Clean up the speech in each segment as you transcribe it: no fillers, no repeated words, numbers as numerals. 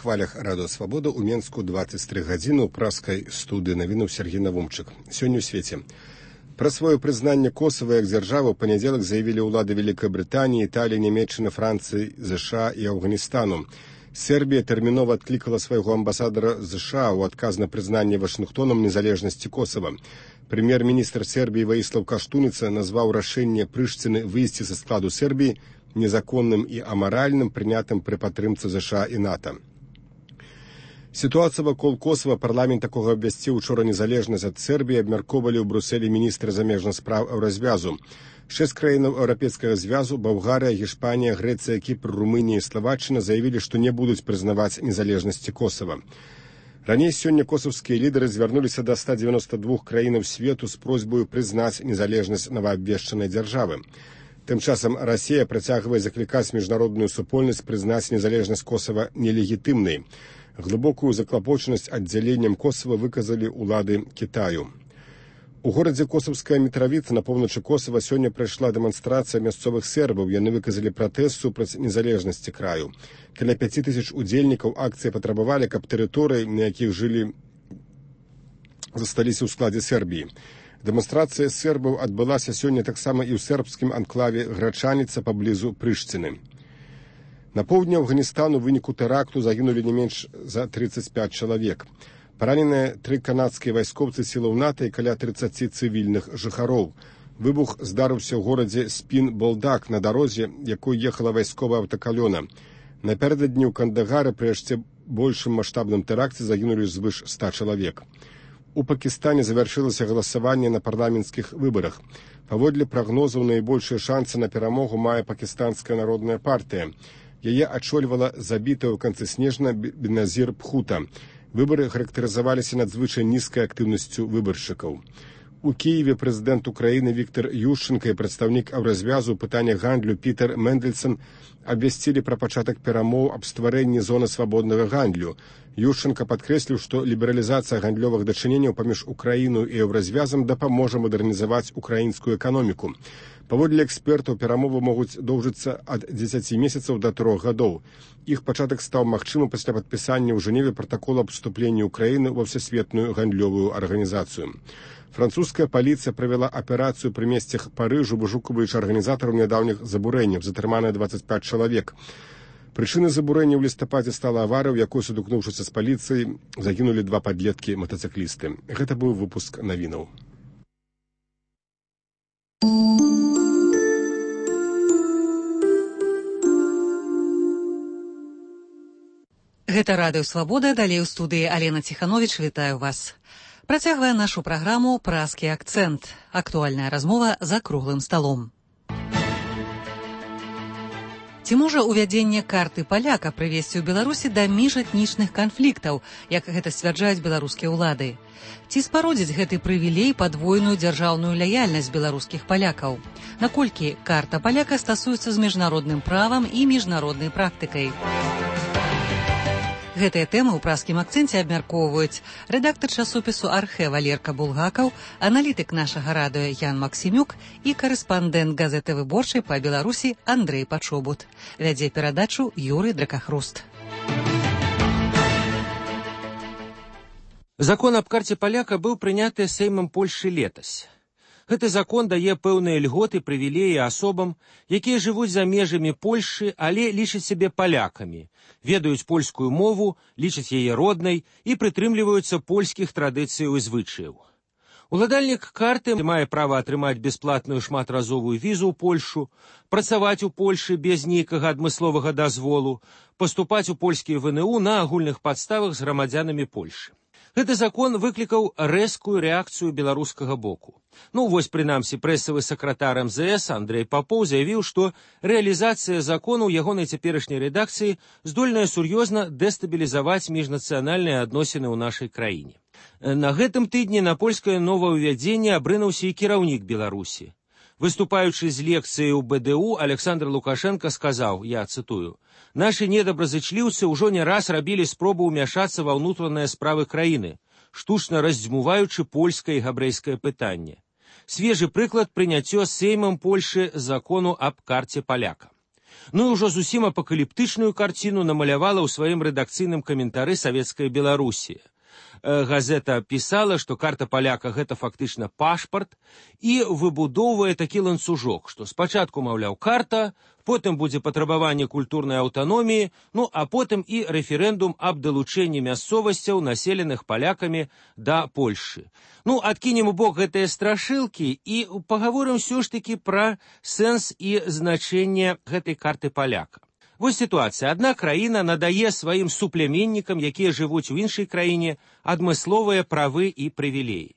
хвалях Радыё Свабода ў Менску 23 гадзіны ў праскай студыі навінаў Сергей Навумчык. Сёння ў свеце. Пра сваё прызнанне Косава як дзяржавы ў панядзелак заявілі ўлады Вялікай Брытаніі, Італіі, Нямецчыны, Францыі, ЗША і Афганістану. Сербія тэрмінова адклікала свайго амбасадара ЗША ў адказ на прызнанне Вашынгтонам незалежнасці Косава. Прэм'ер-міністр Сербіі Ваіслаў Каштуніца назваў рашэнне Прыштыны выйсці са складу Сербіі незаконным і амаральным, прынятым пры падтрымцы ЗША і НАТО. Сітуацыя вакол Косава парламент такога абвясціў учора незалежнасць ад Сербіі, абмяркоўвалі ў Брусэлі міністры замежных спраў Еўразвязу. 6 краінаў Еўрапейскага звязу, Балгарыя, Гішпанія, Грэцыя, Кіпр, Румынія і Славаччына заявілі, што не будуць прызнаваць незалежнасці Косава. Раней сёння косавскія лідары звярнуліся да 192 краінаў свету з просьбаю прызнаць незалежнасць новаабвешчанай дзяржавы. Тым часам Расія працягвае заклікаць міжнародную супольнасць прызнаць незалежнасць Косава нелегітымнай. Глыбокую заклапочанасць аддзяленнем Косава выказалі ўлады Кітаю. У горадзе Косавская Мітравіца на поўначы Косава сёння прайшла дэманстрацыя мясцовых сербаў. Яны выказалі пратэст супраць незалежнасці краю. Каля 5000 удзельнікаў акцыі патрабавалі, каб тэрыторыі, на якіх жылі, засталіся ў складзе Сербіі. Дэманстрацыя сербаў адбылася сёння таксама і ў сербскім анклаве Грачаніца паблізу Прыштыны. На поўдні Афганістану ў выніку тэракту загінулі не менш за 35 чалавек. Параненыя 3 канадскія вайскоўцы сілаў НАТО і каля 30 цывільных жыхароў. Выбух здарыўся ў горадзе Спін-Болдак на дарозе, якой ехала вайсковая аўтакалёна. Напярэдадні ў Кандагары пры яшчэ большым маштабным тэракце загінулі звыш 100 чалавек. У Пакістане завяршылася галасаванне на парламенцкіх выбарах. Паводле прагнозаў, найбольшыя шансы на перамогу мае Пакістанская народная партыя. Яе ачольвала забітая ў канцы снежня Беназір Бхута. Выбары характарызаваліся надзвычай нізкай актыўнасцю выбаршчыкаў. У Кіеве прэзідэнт Украіны Віктор Ющенка і прадстаўнік Еўразвязу ў пытаннях гандлю Пітер Мэндельсон абвясцілі пра пачатак перамоў аб стварэнні зоны свабоднага гандлю. Ющенка падкрэсліў, што лібералізацыя гандлёвых дачыненняў паміж Украіною і Еўразвязам дапаможа мадэрнізаваць украінскую эканоміку. Паводле экспертаў, перамовы могуць доўжыцца ад 10 месяцаў да 3 гадоў. Іх пачатак стаў магчымым пасля падпісання ў Жэневе пратакола аб уступленні Украіны ва Всесветную гандлёвую арганізацыю. Французская паліцыя правяла аперацыю пры месцах Парыжу, вышукваючы арганізатараў нядаўніх забурэнняў, затрыманыя 25 чалавек. Прычынай забурэння ў лістападзе стала аварыя, у якой, сутыкнуўшыся з паліцыяй, загінулі 2 падлеткі-матацыклісты. Гэта быў выпуск навінаў. Гэта Радыё Свабода, далей у студыі Алена Ціхановіч, вітаю вас. Працягвае нашу праграму «Празкі акцэнт». Актуальная размова за круглым сталом. Ці можа ўвядзенне карты паляка прывесці ў Беларусі да міжэтнічных канфліктаў, як гэта сцвярджаюць беларускія ўлады? Ці спародзіць гэты прывілей падвойную дзяржаўную лаяльнасць беларускіх палякаў? Наколькі карта паляка стасуецца з міжнародным правам і міжнароднай практыкай? Гэтыя тэмы ў празкім акцэнце абмяркоўваюць рэдактар часопісу «Архэ» Валерка Булгакаў, аналітык нашага радыё Ян Максімюк і карэспандэнт газеты «Выборчай» па Беларусі Андрэй Пачобут. Вядзе перадачу Юрый Дракахруст. Закон аб карце паляка быў прыняты Сеймам Польшчы летась. Гэты закон дае пэўныя льготы, прывілеі асобам, якія жывуць за межамі Польшчы, але лічаць сябе палякамі, ведаюць польскую мову, лічаць яе роднай і прытрымліваюцца польскіх традыцыяў і звычаяў. Уладальнік карты мае права атрымаць бясплатную шматразовую візу ў Польшчу, працаваць у Польшчы без нейкага адмысловага дазволу, паступаць у польскія ВНУ на агульных падставах з грамадзянамі Польшчы. Гэты закон выклікаў рэзкую рэакцыю беларускага боку. Вось, прынамсі, прэсавы сакратар МЗС Андрэй Папоў заявіў, што рэалізацыя закону ў ягонай цяперашняй рэдакцыі здольная сур'ёзна дэстабілізаваць міжнацыянальныя адносіны ў нашай краіне. На гэтым тыдні на польскае новаўвядзенне абрынуўся і кіраўнік Беларусі. Выступаючы з лекцыяй у БДУ, Александр Лукашенко сказаў, я цытую, «Нашы недабразычліўцы ўжо не раз рабілі спробу ўмяшацца ва ўнутраныя справы краіны, штучна раздзьмуваючы польскае і габрэйскае пытанне. Свежы прыклад прыняццё Сеймам Польшчы закону аб карце паляка. Ну і ўжо зусім апакаліптычную карціну намалявала ў сваім рэдакцыйным каментары савецкая Беларусія. Газета пісала, што карта паляка гэта фактычна пашпарт і выбудоўвае такі ланцужок, што спачатку, маўляў, карта, потым будзе патрабаванне культурнай аўтаноміі, ну а потым і рэферэндум аб далучэнні мясцовасцяў, населеных палякамі, да Польшы. Ну, адкінем у бок гэтыя страшылкі і пагаворым ўсё ж такі пра сэнс і значэнне гэтай карты паляка. Вось сітуацыя. Адна краіна надае сваім суплеменнікам, якія жывуць у іншай краіне, адмысловыя правы і прывілеі.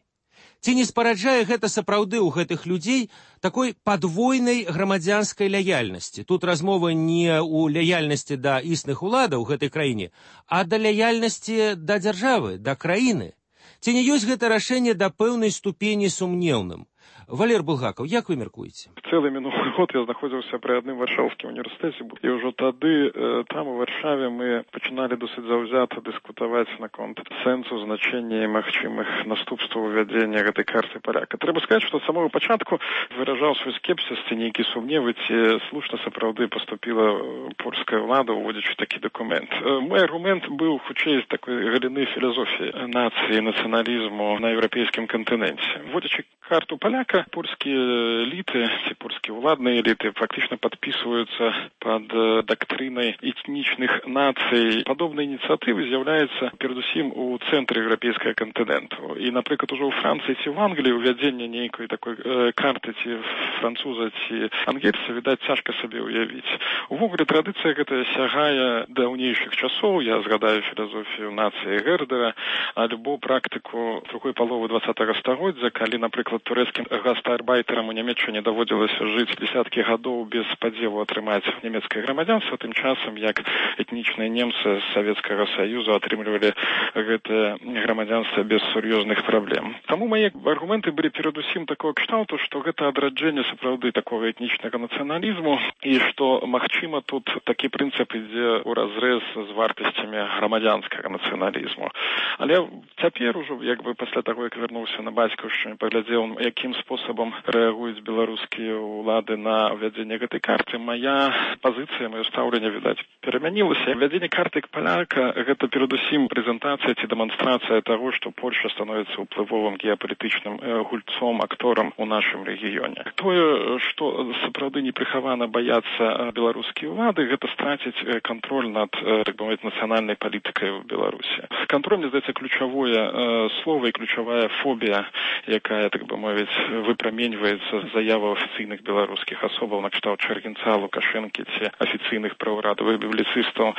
Ці не спараджае гэта сапраўды ў гэтых людзей такой падвойнай грамадзянскай лаяльнасці? Тут размова не ў лаяльнасці да існых уладаў у гэтай краіне, а да лаяльнасці да дзяржавы, да краіны. Ці не ёсць гэта рашэнне да пэўнай ступені сумнеўным? Валер Булгакаў, як вы мяркуеце? Цэлы мінулы год я знаходзіўся пры адным варшаўскім універсітэце, і ўжо тады там у Варшаве мы пачыналі досыць заўзята дыскутаваць наконт сэнсу, значэння і магчымых наступстваў увядзення гэтай карты паляка. Трэба сказаць, што з самого пачатку выражаў свой скепсіс ці нейкі сумневы, ці слушна сапраўды паступіла польская ўлада, уводзячы такі дакумент. Мой аргумент быў хутчэй з такой галіны філазофіі нацыі, нацыяналізму на еўрапейскім кантыненце. Уводзячы карту паляка, польскія эліты, ці польскія ўладныя эліты фактычна падпісваюцца пад дактрынай этнічных нацый. Падобныя ініцыятывы з'яўляюцца перадусім у цэнтры еўрапейскага кантыненту. І, напрыклад, ужо ў Францыі ці ў Англіі ўвядзенне нейкай такой карты ці француза ці ангельца, відаць, цяжка сабе ўявіць. Увогуле, традыцыя гэта сягае даўнейшых часоў. Я згадаю філазофію нацыі Гердера, альбо практыку другой паловы 20-го стагоддзя, калі, напрыклад, турэцкім гастарбайтерам у Нямецчыне даводзілася жыць дзесяткі гадоў без спадзеву атрымаць нямецкае грамадзянства, тым часам як этнічныя немцы з Савецкага Саюзу атрымлівалі гэтае грамадзянства без сур'ёзных праблем. Таму мае аргументы былі перадусім такого кшталту, што гэта адраджэнне сапраўды такога этнічнага нацыяналізму і што, магчыма, тут такі прынцып ідзе ў разрэз з вартасцямі грамадзянскага нацыяналізму. Але цяпер ужо, як бы пасля таго, як вярнуўся на бацькаўшчыну, паглядзеў, якім спосабам рэагуюць беларускія ўлады на ўвядзенне гэтай карты, моя пазіцыя, маё стаўленне, відаць, перамянілася. Ввядзенне карты паляка – гэта перадусім прэзентацыя ці дэманстрацыя таго, што Польша становіцца ўплывовым геапалітычным гульцом, акторам у нашым рэгіёне. Тое, што сапраўды непрыхавана баяцца беларускія ўлады, гэта страціць кантроль над, так бы мовіць, нацыянальнай палітыкай у Беларусі. Кантроль, мне здаецца, ключавое слово і ключавая фобія, якая, так бы мовіць, выпраменьваецца заява афіцыйных беларускіх асобаў на кшталт Чаргінца, Лукашэнкі ці афіцыйных праўрадавых бібліцыстаў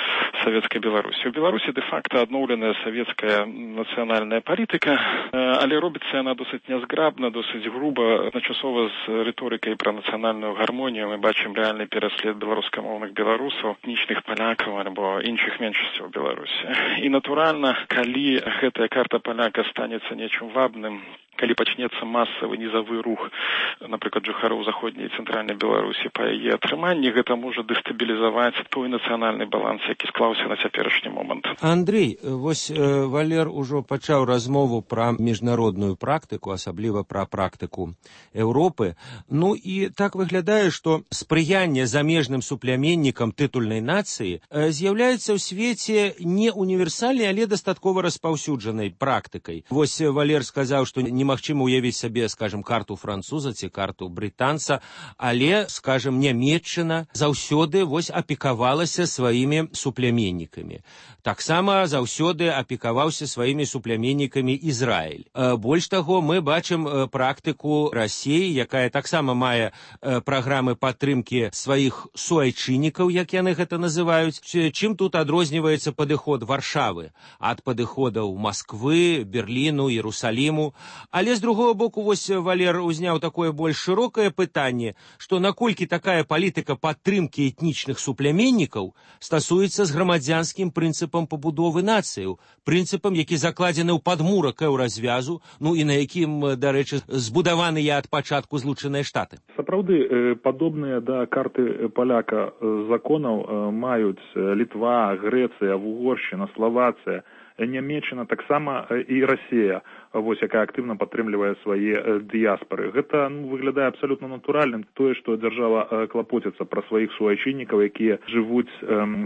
савецкай Беларусі. У Беларусі дэ-факта адноўленая савецкая нацыянальная палітыка, але робіцца яна досыць нязграбна, досыць груба, адначасова з рыторыкай пра нацыянальную гармонію. Мы бачым рэальны пераслед беларускамоўных беларусаў, этнічных палякаў альбо іншых меншасцяў у Беларусі. І, натуральна, калі гэтая карта паляка станецца нечым вабным, калі пачнецца масавы нізавы рух, напрыклад, жыхароў заходняй і цэнтральнай Беларусі па яе атрыманні, гэта можа дэстабілізаваць той нацыянальны баланс, які склаўся на цяперашні момант. Андрей, вось Валер ужо пачаў размову пра міжнародную практыку, асабліва пра практыку Еўропы. Ну і так выглядае, што спрыянне замежным суплеменнікам тытульнай нацыі з'яўляецца ў свеце не універсальнай, але дастаткова распаўсюджанай практыкай. Вось Валер сказаў, што немагчыма ўявіць сабе, скажем, карту француза ці карту брытанца, але, скажем, Нямецчына заўсёды вось апекавалася сваімі суплеменнікамі. Таксама заўсёды апекаваўся сваімі суплеменнікамі Ізраіль. Больш таго, мы бачым практыку Расіі, якая таксама мае праграмы падтрымкі сваіх суайчыннікаў, як яны гэта называюць. Чым тут адрозніваецца падыход Варшавы ад падыходаў Масквы, Берліну, Іерусаліму. Але, з другого боку, вось Валер узняў такое больш шырокае пытанне, што наколькі такая палітыка падтрымкі этнічных суплеменнікаў стасуецца з грамадзянскім прынцыпам пабудовы нацыяў, прынцыпам, які закладзены ў падмурак еўразвязу, ну і на якім, дарэчы, збудаваныя ад пачатку Злучаныя Штаты. Сапраўды, падобныя да карты паляка законаў маюць Літва, Грэцыя, Угоршчына, Славацыя, Нямецчына, таксама і Расія, якая актыўна падтрымлівае свае дыяспары. Гэта выглядае абсалютна натуральным, тое, што дзяржава клапоціцца пра сваіх суайчыннікаў, якія жывуць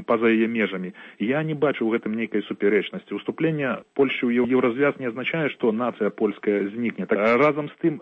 па-за яе межамі. Я не бачу ў гэтым нейкай супярэчнасці. Уступленне Польшчы ў Еўразвяз не азначае, што нацыя польская знікне. Разам з тым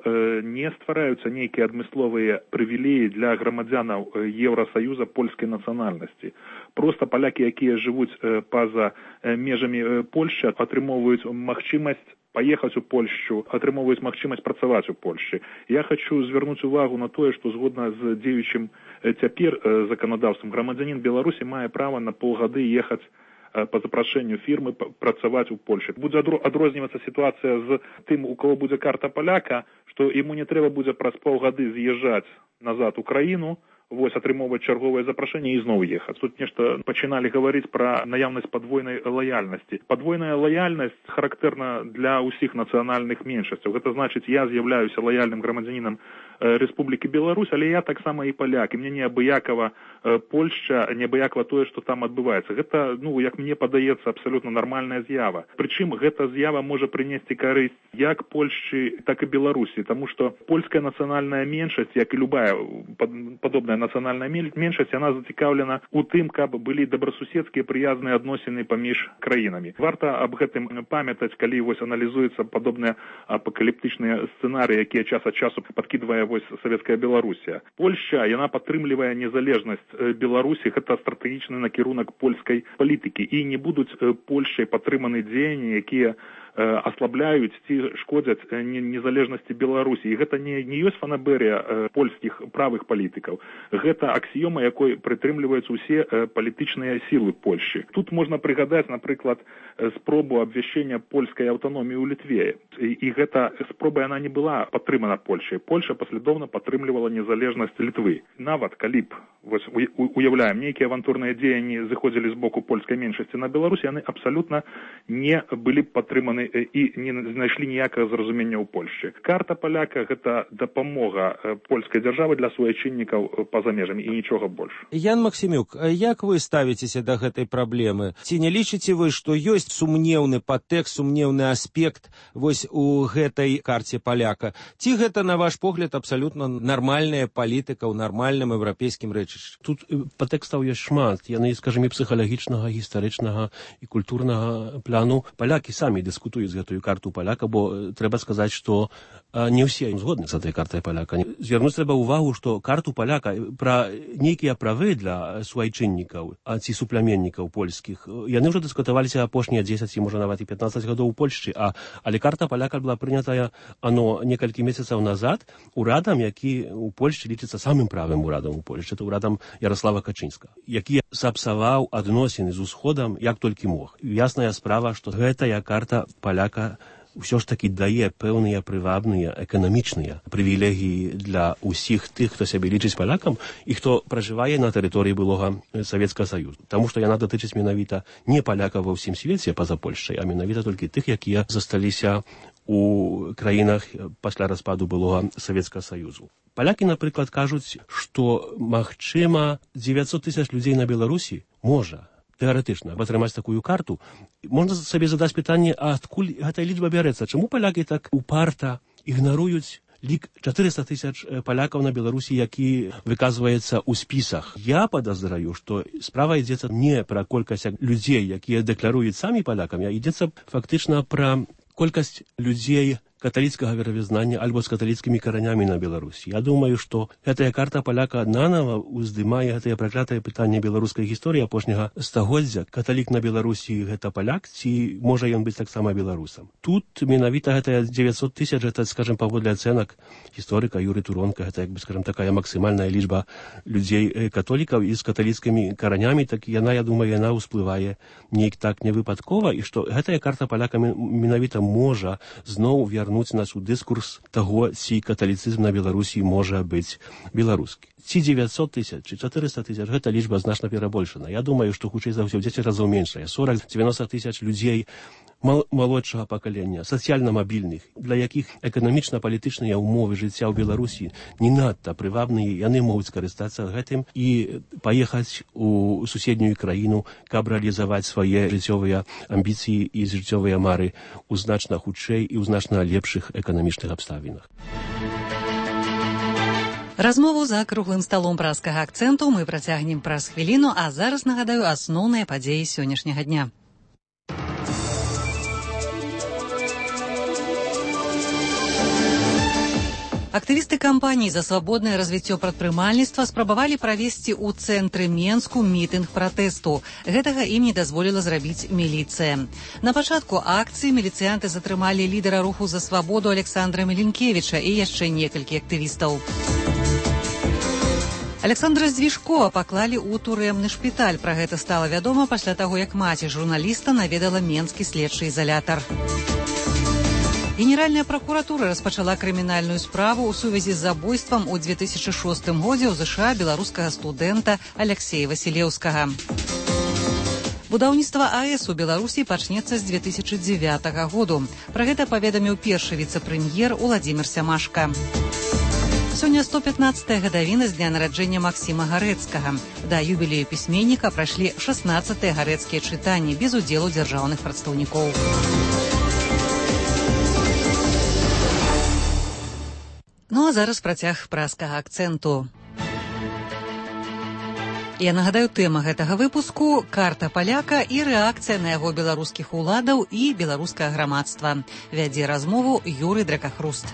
не ствараюцца нейкія адмысловыя прывілеі для грамадзянаў Еўрасаюза польскай нацыянальнасці. Проста палякі, якія жывуць па-за межамі Польшчы, атрымоўваюць магчымасць паехаць у Польшчу, атрымоўваюць магчымасць працаваць у Польшчы. Я хочу звярнуць увагу на тое, што згодна з дзеючым цяпер заканадаўствам грамадзянін Беларусі мае права на паўгады ехаць па запрашэнню фірмы працаваць у Польшчы. Будзе адрознівацца сітуацыя з тым, у кого будзе карта паляка, што яму не трэба будзе праз паўгады з'язджаць назад у краіну, атрымоўваць чарговае запрашэнне і зноў ехаць. Тут нешта пачыналі гаварыць пра наяўнасць падвойнай лаяльнасці. Падвойная лаяльнасць характэрна для ўсіх нацыянальных меншасцяў. Гэта значыць, я з'яўляюся лаяльным грамадзянінам Рэспублікі Беларусь, але я таксама і паляк, і мне неабыякава Польшча, неабыякава тое, што там адбываецца. Гэта, як мне падаецца, абсалютна нармальная з'ява. Прычым гэта з'ява можа прынесці карысць як Польшчы, так і Беларусі, таму што польская нацыянальная меншасць, як і любая падобная нацыянальная меншасць, яна зацікаўлена ў тым, каб былі добрасуседскія прыязныя адносіны паміж краінамі. Варта аб гэтым памятаць, калі аналізуюцца падобныя апакаліптычныя сцэнарыі, якія час ад часу падкідвае савецкая Беларусія. Польшча, яна падтрымлівае незалежнасць Беларусі, гэта стратэгічны накірунак польскай палітыкі, і не будуць Польшчай падтрыманы дзеянні, якія аслабляюць ці шкодзяць незалежнасці Беларусі. І гэта не ёсць фанаберыя польскіх правых палітыкаў. Гэта аксіёма, якой прытрымліваюцца ўсе палітычныя сілы Польшчы. Тут можна прыгадаць, напрыклад, спробу абвяшчэння польскай аўтаноміі ў Літве. І гэта спроба, яна не была падтрымана Польшчай. Польша паслядоўна падтрымлівала незалежнасць Літвы. Нават калі б, уяўляем, нейкія авантурныя дзеянні зыходзілі з боку польскай меншасці на Беларусі, яны абсалютна не былі б падтрыманы і не знайшлі ніякага зразумення ў Польшчы. Карта паляка – гэта дапамога польскай дзяржавы для суайчыннікаў па-за межамі і нічога больш. Ян Максімюк, як вы ставіцеся да гэтай праблемы? Ці не лічыце вы, што ёсць сумнеўны падтэкст, сумнеўны аспект у гэтай карце паляка? Ці гэта, на ваш погляд, абсалютна нармальная палітыка ў нармальным еўрапейскім рэчышчы? Тут падтэкстаў ёсць шмат. Яны, скажем, і псіхалагічнага, гістарычнага і культурнага плану. Палякі самі дыскутуюць з гэтую карту паляка, бо трэба сказаць, што не ўсе згодны з гэтай картай паляка. Звярнуць трэба ўвагу, што карту паляка пра нейкія правы для суайчыннікаў ці супляменнікаў польскіх, яны ўжо дыскутаваліся апошнія 10, можа нават і 15 гадоў у Польшчы, але карта паляка была прынятая некалькі месяцаў назад урадам, які у Польшчы лічыцца самым правым урадам у Польшчы, это урадам Ярослава Качынска, які сапсаваў адносіны з усходам як толькі мог. Ясная справа, што гэтая карта паляка ўсё ж такі дае пэўныя прывабныя эканамічныя прывілегіі для ўсіх тых, хто сябе лічыць палякам і хто пражывае на тэрыторыі былога Савецкага Саюзу. Таму што яна датычыць менавіта не палякаў ва ўсім свеце па-за Польшчай, а менавіта толькі тых, якія засталіся у краінах пасля распаду былога Савецкага Саюзу. Палякі, напрыклад, кажуць, што, магчыма, 900 000 людзей на Беларусі можа тэарэтычна атрымаць такую карту. Можна сабе задаць пытанне, а адкуль гэтая лічба бярэцца? Чаму палякі так упарта ігнаруюць лік 400 000 палякаў на Беларусі, які выказваецца ў спісах? Я падазраю, што справа ідзецца не пра колькасць людзей, якія дэкларуюць самі палякам, а ідзецца фактычна пра колькасць людзей каталіцкага веравызнання альбо з каталіцкімі каранямі на Беларусі. Я думаю, што гэтая карта паляка нанава ўздымае гэтае праклятае пытанне беларускай гісторыі апошняга стагоддзя. Каталік на Беларусі гэта паляк, ці можа ён быць таксама беларусам? Тут менавіта гэтая 900 000, гэта, скажем, паводле ацэнак гісторыка Юры Туронка, гэта, скажем, такая максімальная лічба людзей католікаў і з каталіцкімі каранямі, так яна, я думаю, яна ўсплывае неяк так невыпадкова, і што гэтая карта паляка менавіта можа зноў вярнуць нас у дыскурс таго, ці каталіцызм на Беларусі можа быць беларускі. Ці 900 000, ці 400 000, гэта лічба значна перабольшана. Я думаю, што хутчэй за ўсё ў 10 разоў меншая. 40-90 000 людзей малодшага пакалення, сацыяльна мабільных, для якіх эканамічна-палітычныя ўмовы жыцця ў Беларусі не надта прывабныя, яны могуць скарыстацца гэтым і паехаць у суседнюю краіну, каб рэалізаваць свае жыццёвыя амбіцыі і жыццёвыя мары ў значна хутчэй і ў значна лепшых эканамічных абставінах. Размову за круглым сталом праскага акцэнту мы працягнем праз хвіліну, а зараз нагадаю асноўныя падзеі сённяшняга дня. Актывісты кампаніі за свабоднае развіццё прадпрымальніцтва спрабавалі правесці ў цэнтры Менску мітынг пратэсту. Гэтага ім не дазволіла зрабіць міліцыя. На пачатку акцыі міліцыянты затрымалі лідара руху за свабоду Александра Меленкевіча і яшчэ некалькі актывістаў. Александра Здвижкова паклалі ў турэмны шпіталь. Пра гэта стала вядома пасля таго, як маці журналіста наведала менскі следчы ізалятар. Генеральная пракуратура распачала крымінальную справу ў сувязі з забойствам у 2006 годзе ў ЗША беларускага студэнта Аляксея Васілеўскага. Будаўніцтва АЭС у Беларусі пачнецца з 2009 году. Пра гэта паведаміў першы віцэ-прэм'ер Уладзімір Сямашка. Сёння 115-я гадавіна з дня нараджэння Максіма Гарэцкага. Да юбілею пісьменніка прайшлі 16-тыя гарэцкія чытанні без удзелу дзяржаўных прадстаўнікоў. Ну а зараз працяг праскага акцэнту. Я нагадаю, тэма гэтага выпуску – карта паляка і рэакцыя на яго беларускіх уладаў і беларускае грамадства. Вядзе размову Юрый Дракахруст.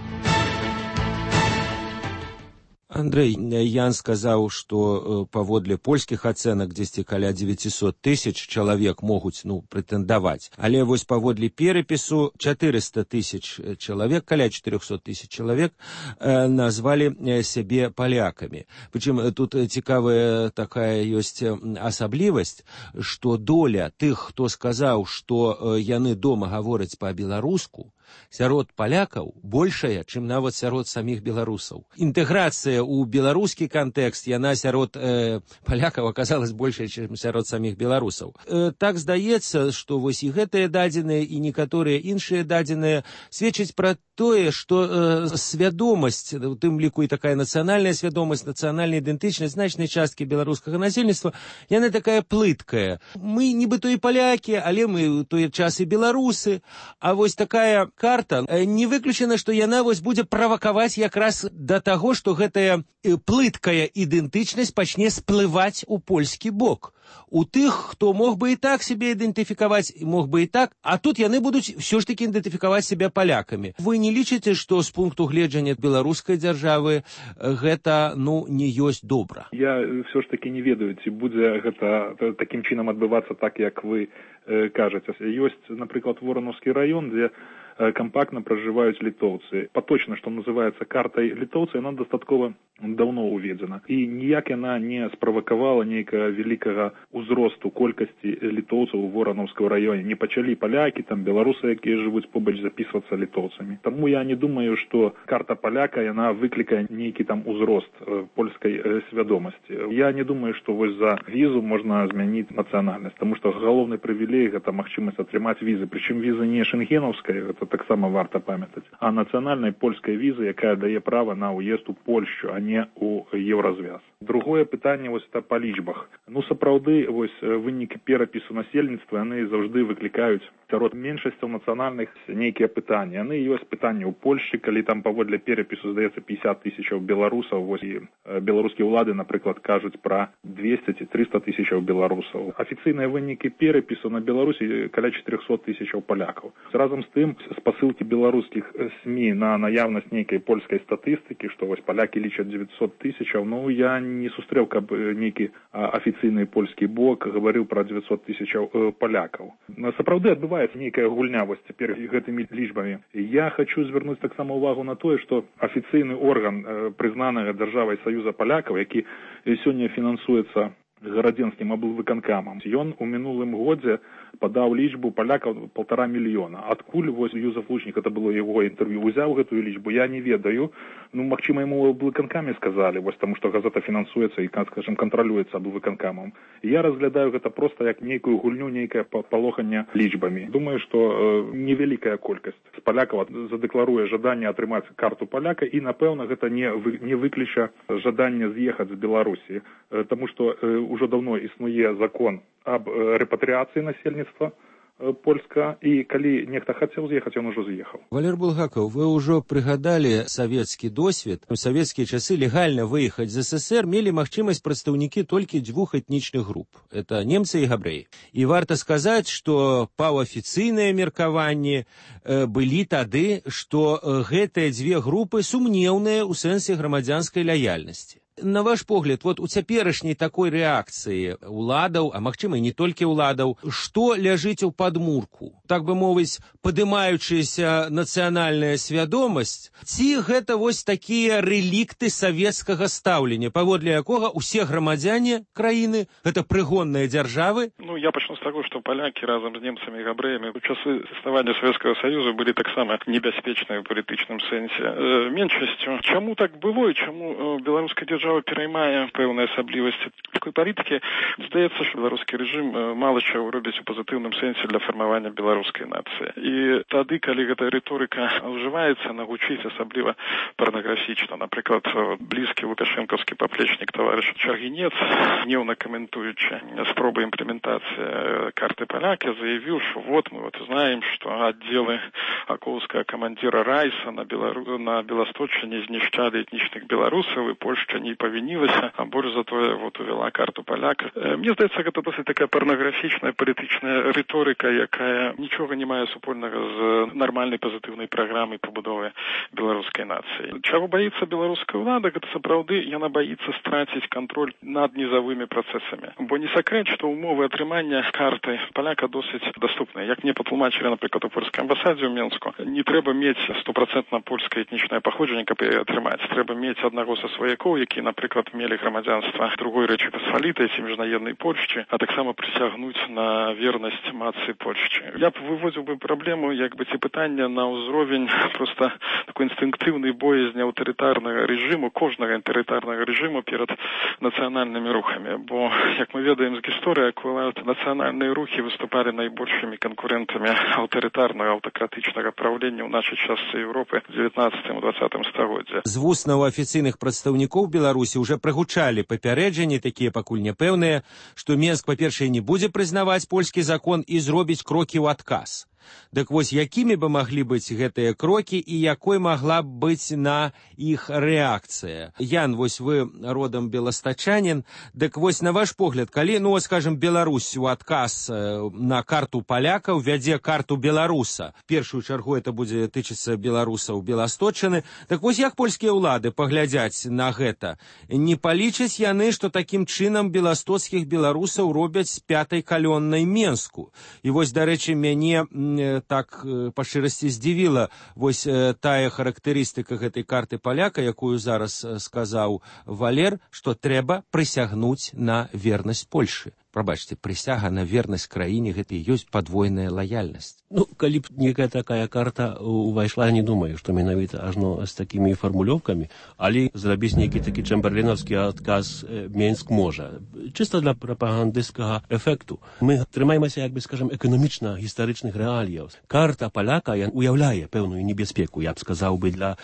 Андрей, Ян сказаў, што паводле польскіх ацэнак дзесьці каля 900 тысяч чалавек могуць прэтэндаваць. Але вось паводле перапісу 400 тысяч чалавек, каля 400 тысяч чалавек назвалі сябе палякамі. Прычым тут цікавая такая ёсць асаблівасць, што доля тых, хто сказаў, што яны дома гавораць па-беларуску, сярод палякаў большая, чым нават сярод саміх беларусаў. Інтэграцыя ў беларускі кантэкст, яна сярод палякаў аказалась большая, чым сярод саміх беларусаў. Так здаецца, што вось і гэтыя дадзеныя, і некаторыя іншыя дадзеныя сведчаць пра тое, што свядомасць, у тым ліку і такая нацыянальная свядомасць, нацыянальная ідэнтычнасць значнай часткі беларускага насельніцтва, яна такая плыткая. Мы нібыто і палякі, але мы ў той час і беларусы, а вось такая карта, не выключана, што яна вось будзе правакаваць якраз да таго, што гэтая плыткая ідэнтычнасць пачне сплываць у польскі бок. У тых, хто мог бы і так сябе ідэнтыфікаваць, мог бы і так, а тут яны будуць ўсё ж такі ідэнтыфікаваць сябе палякамі. Вы не лічыце, што з пункту гледжання беларускай дзяржавы гэта, не ёсць добра? Я ўсё ж такі не ведаю, ці будзе гэта такім чынам адбывацца так, як вы кажаце. Ёсць, напрыклад, Воронаўскі раён, дзе компактно проживают литовцы. Поточно, что называется картой литовцев, она дастаткова давно уведена. И ніяк яна не справакавала нейкага великага узросту колькасці литовцаў у Воронаўскім раёне. Не пачалі палякі, там беларусы, якія жывуць побач, записываться литовцамі. Таму я не думаю, что карта паляка, яна выклікае нейкі там узрост польскай свядомасці. Я не думаю, что вось за візу можна змяніць нацыянальнасць, тому что галоўны прывілей гэта магчымасць атрымаць візы. Прычым віза не шенгенаўская, это таксама варта памятаць, а нацыянальнай польскай візы, якая дае права на ўезд у Польшчу, а не у Еўразвяз. Другое пытанне вось это па лічбах. Сапраўды, вось вынікі перапісу насельніцтва, яны заўжды выклікаюць сярод меншасцяў нацыянальных нейкія пытанні. Яны ёсць пытанні ў Польшчы, калі там паводле перапісу, здаецца, 50 тысячаў беларусаў, вось і беларускія ўлады, напрыклад, кажуць пра 200 ці 300 тысячаў беларусаў. Афіцыйныя вынікі перапісу на Беларусі каля 400 тысячаў палякаў. Разам з тым, спасылкі беларускіх СМІ на наяўнасць нейкай польскай статыстыкі, што вось палякі лічаць 900 тысячаў, я не сустрэў, каб нейкі афіцыйны польскі бок гаварыў пра 900 тысячаў палякаў. Сапраўды адбываецца нейкая гульня вось цяпер гэтымі лічбамі. Я хочу звярнуць таксама ўвагу на тое, што афіцыйны орган прызнанага дзяржавай Саюза палякаў, які сёння фінансуецца гарадзенскім аблвыканкамам, ён у мінулым годзе падаў лічбу палякаў 1,5 мільёна. Адкуль вось Юзеф Лучнік, это было яго інтэрв'ю, узяў гэтую лічбу, я не ведаю. Ну, магчыма, яму аблвыканкамі сказалі, вось таму што газета фінансуецца і, скажем, кантралюецца аблвыканкамам. Я разглядаю гэта проста як нейкую гульню, нейкае палоханне лічбамі. Думаю, што невялікая колькасць з палякаў задэкларуе жаданне атрымаць карту паляка, і, напэўна, гэта не выключа жаданне з'ехаць з Беларусі, таму што ўжо даўно існуе закон аб рэпатрыяцыі насельніцтва польска, і калі нехта хацеў з'ехаць, ён ужо з'ехаў. Валер Булгаков, вы ўжо прыгадалі савецкі досвед. У савецкія часы легальна выехаць з СССР мелі магчымасць прадстаўнікі толькі 2 этнічных груп. Это немцы і габрэі. І варта сказаць, што паўафіцыйныя меркаванні былі тады, што гэтыя 2 групы сумнеўныя ў сэнсе грамадзянскай лаяльнасці. На ваш погляд, вот у цяперашняй такой рэакцыі уладаў, а магчыма і не толькі уладаў, што ляжыць у падмурку? Так бы мовіць, падымаючаяся нацыянальная свядомасць, ці гэта вось такія рэлікты савецкага стаўлення, паводле якога ўсе грамадзяне краіны гэта прыгонныя дзяржавы? Ну, я пачну з таго, што палякі разам з немцамі і габрэямі у часы існавання Савецкага Саюзу былі таксама небяспечныя ў палітычным сэнсе меншасцю. Чаму так было і чаму беларуская дзяржава пераймае пэўныя асаблівасці такой палітыкі? Здаецца, што беларускі рэжым мала чаго робіць у пазітыўным сэнсе для фармавання беларускай нацыі. І тады, калі гэта рыторыка ўжываецца, она гучыць асабліва парнаграфічна. Напрыклад, блізкі лукашэнкаўскі паплечнік таварыш Чаргінец, гневна каментуючы спробы імплементацыі карты паляка, заявіў, што вот мы знаем, што аддзелы акоўскага камандзіра Райса на Беласточчыне знішчалі этнічных беларусаў, і Польшча не павінілася, а больш затое увяла карту паляка. Мне здаецца, гэта досыць такая парнаграфічная палітычная рыторыка, якая нічога не мае супольнага з нармальнай пазітыўнай праграмай пабудовы беларускай нацыі. Чаго баіцца беларуская ўлада, гэта сапраўды яна баіцца страціць кантроль над нізавымі працэсамі. Бо не сакрэт, што ўмовы атрымання карты паляка досыць даступныя. Як мне патлумачылі, напрыклад, у польскай амбасадзе ў Менску, не трэба мець 100% польскае этнічнае паходжанне, каб яе атрымаць. Трэба мець аднаго са сваякоў, які, напрыклад, мелі грамадзянства другой Рэчы Пасвалітай ці міжнароднай Польшчы, а таксама прысягнуць на вернасць мацы Польшчы. Я б выводзіў бы праблему, ці пытання на ўзровень проста такой інстынктыўнай боязні аўтарытарнага рэжыму, кожнага аўтарытарнага рэжыму перад нацыянальнымі рухамі. Бо, як мы ведаем з гісторыі, нацыянальныя рухі выступалі найбольшымі канкурентамі аўтарытарнага, аўтакратычнага праўлення ў нашай частцы Еўропы в 19-20 стагоддзі. З вуснаў афіцыйных прадстаўнікоў Беларусі ўжо прагучалі папярэджанні, такія пакуль няпэўныя, што Менск, па-першае, не будзе прызнаваць польскі закон і зробіць крокі ў адказ. Дык вось якімі бы маглі быць гэтыя крокі і якой магла б быць на іх рэакцыя? Ян, вось вы родам беластачанін, дык вось на ваш погляд, калі, скажем, Беларусь у адказ на карту паляка ўвядзе карту беларуса, в першую чаргу это будзе тычыцца беларусаў Беласточчыны, так вось як польскія ўлады паглядзяць на гэта? Не палічаць яны, што такім чынам беластоцкіх беларусаў робяць з 5-й калённай Менску? І вось, дарэчы, мяне так па шчырасці здзівіла вось тая характарыстыка гэтай карты паляка, якую зараз сказаў Валер, што трэба прысягнуць на вернасць Польшы. Прабачце, прысяга на вернасць краіне гэта і ёсць падвойная лаяльнасць. Калі б некая такая карта увайшла, не думаю, што менавіта ажно з такімі фармулёўкамі, але зрабіць нейкі такі чэмберлінаўскі адказ Менск можа. Чыста для прапагандысцкага эфекту. Мы трымаемся, скажем, эканамічна-гістарычных рэаліяў. Карта паляка уяўляе пэўную небяспеку, я б сказаў бы, для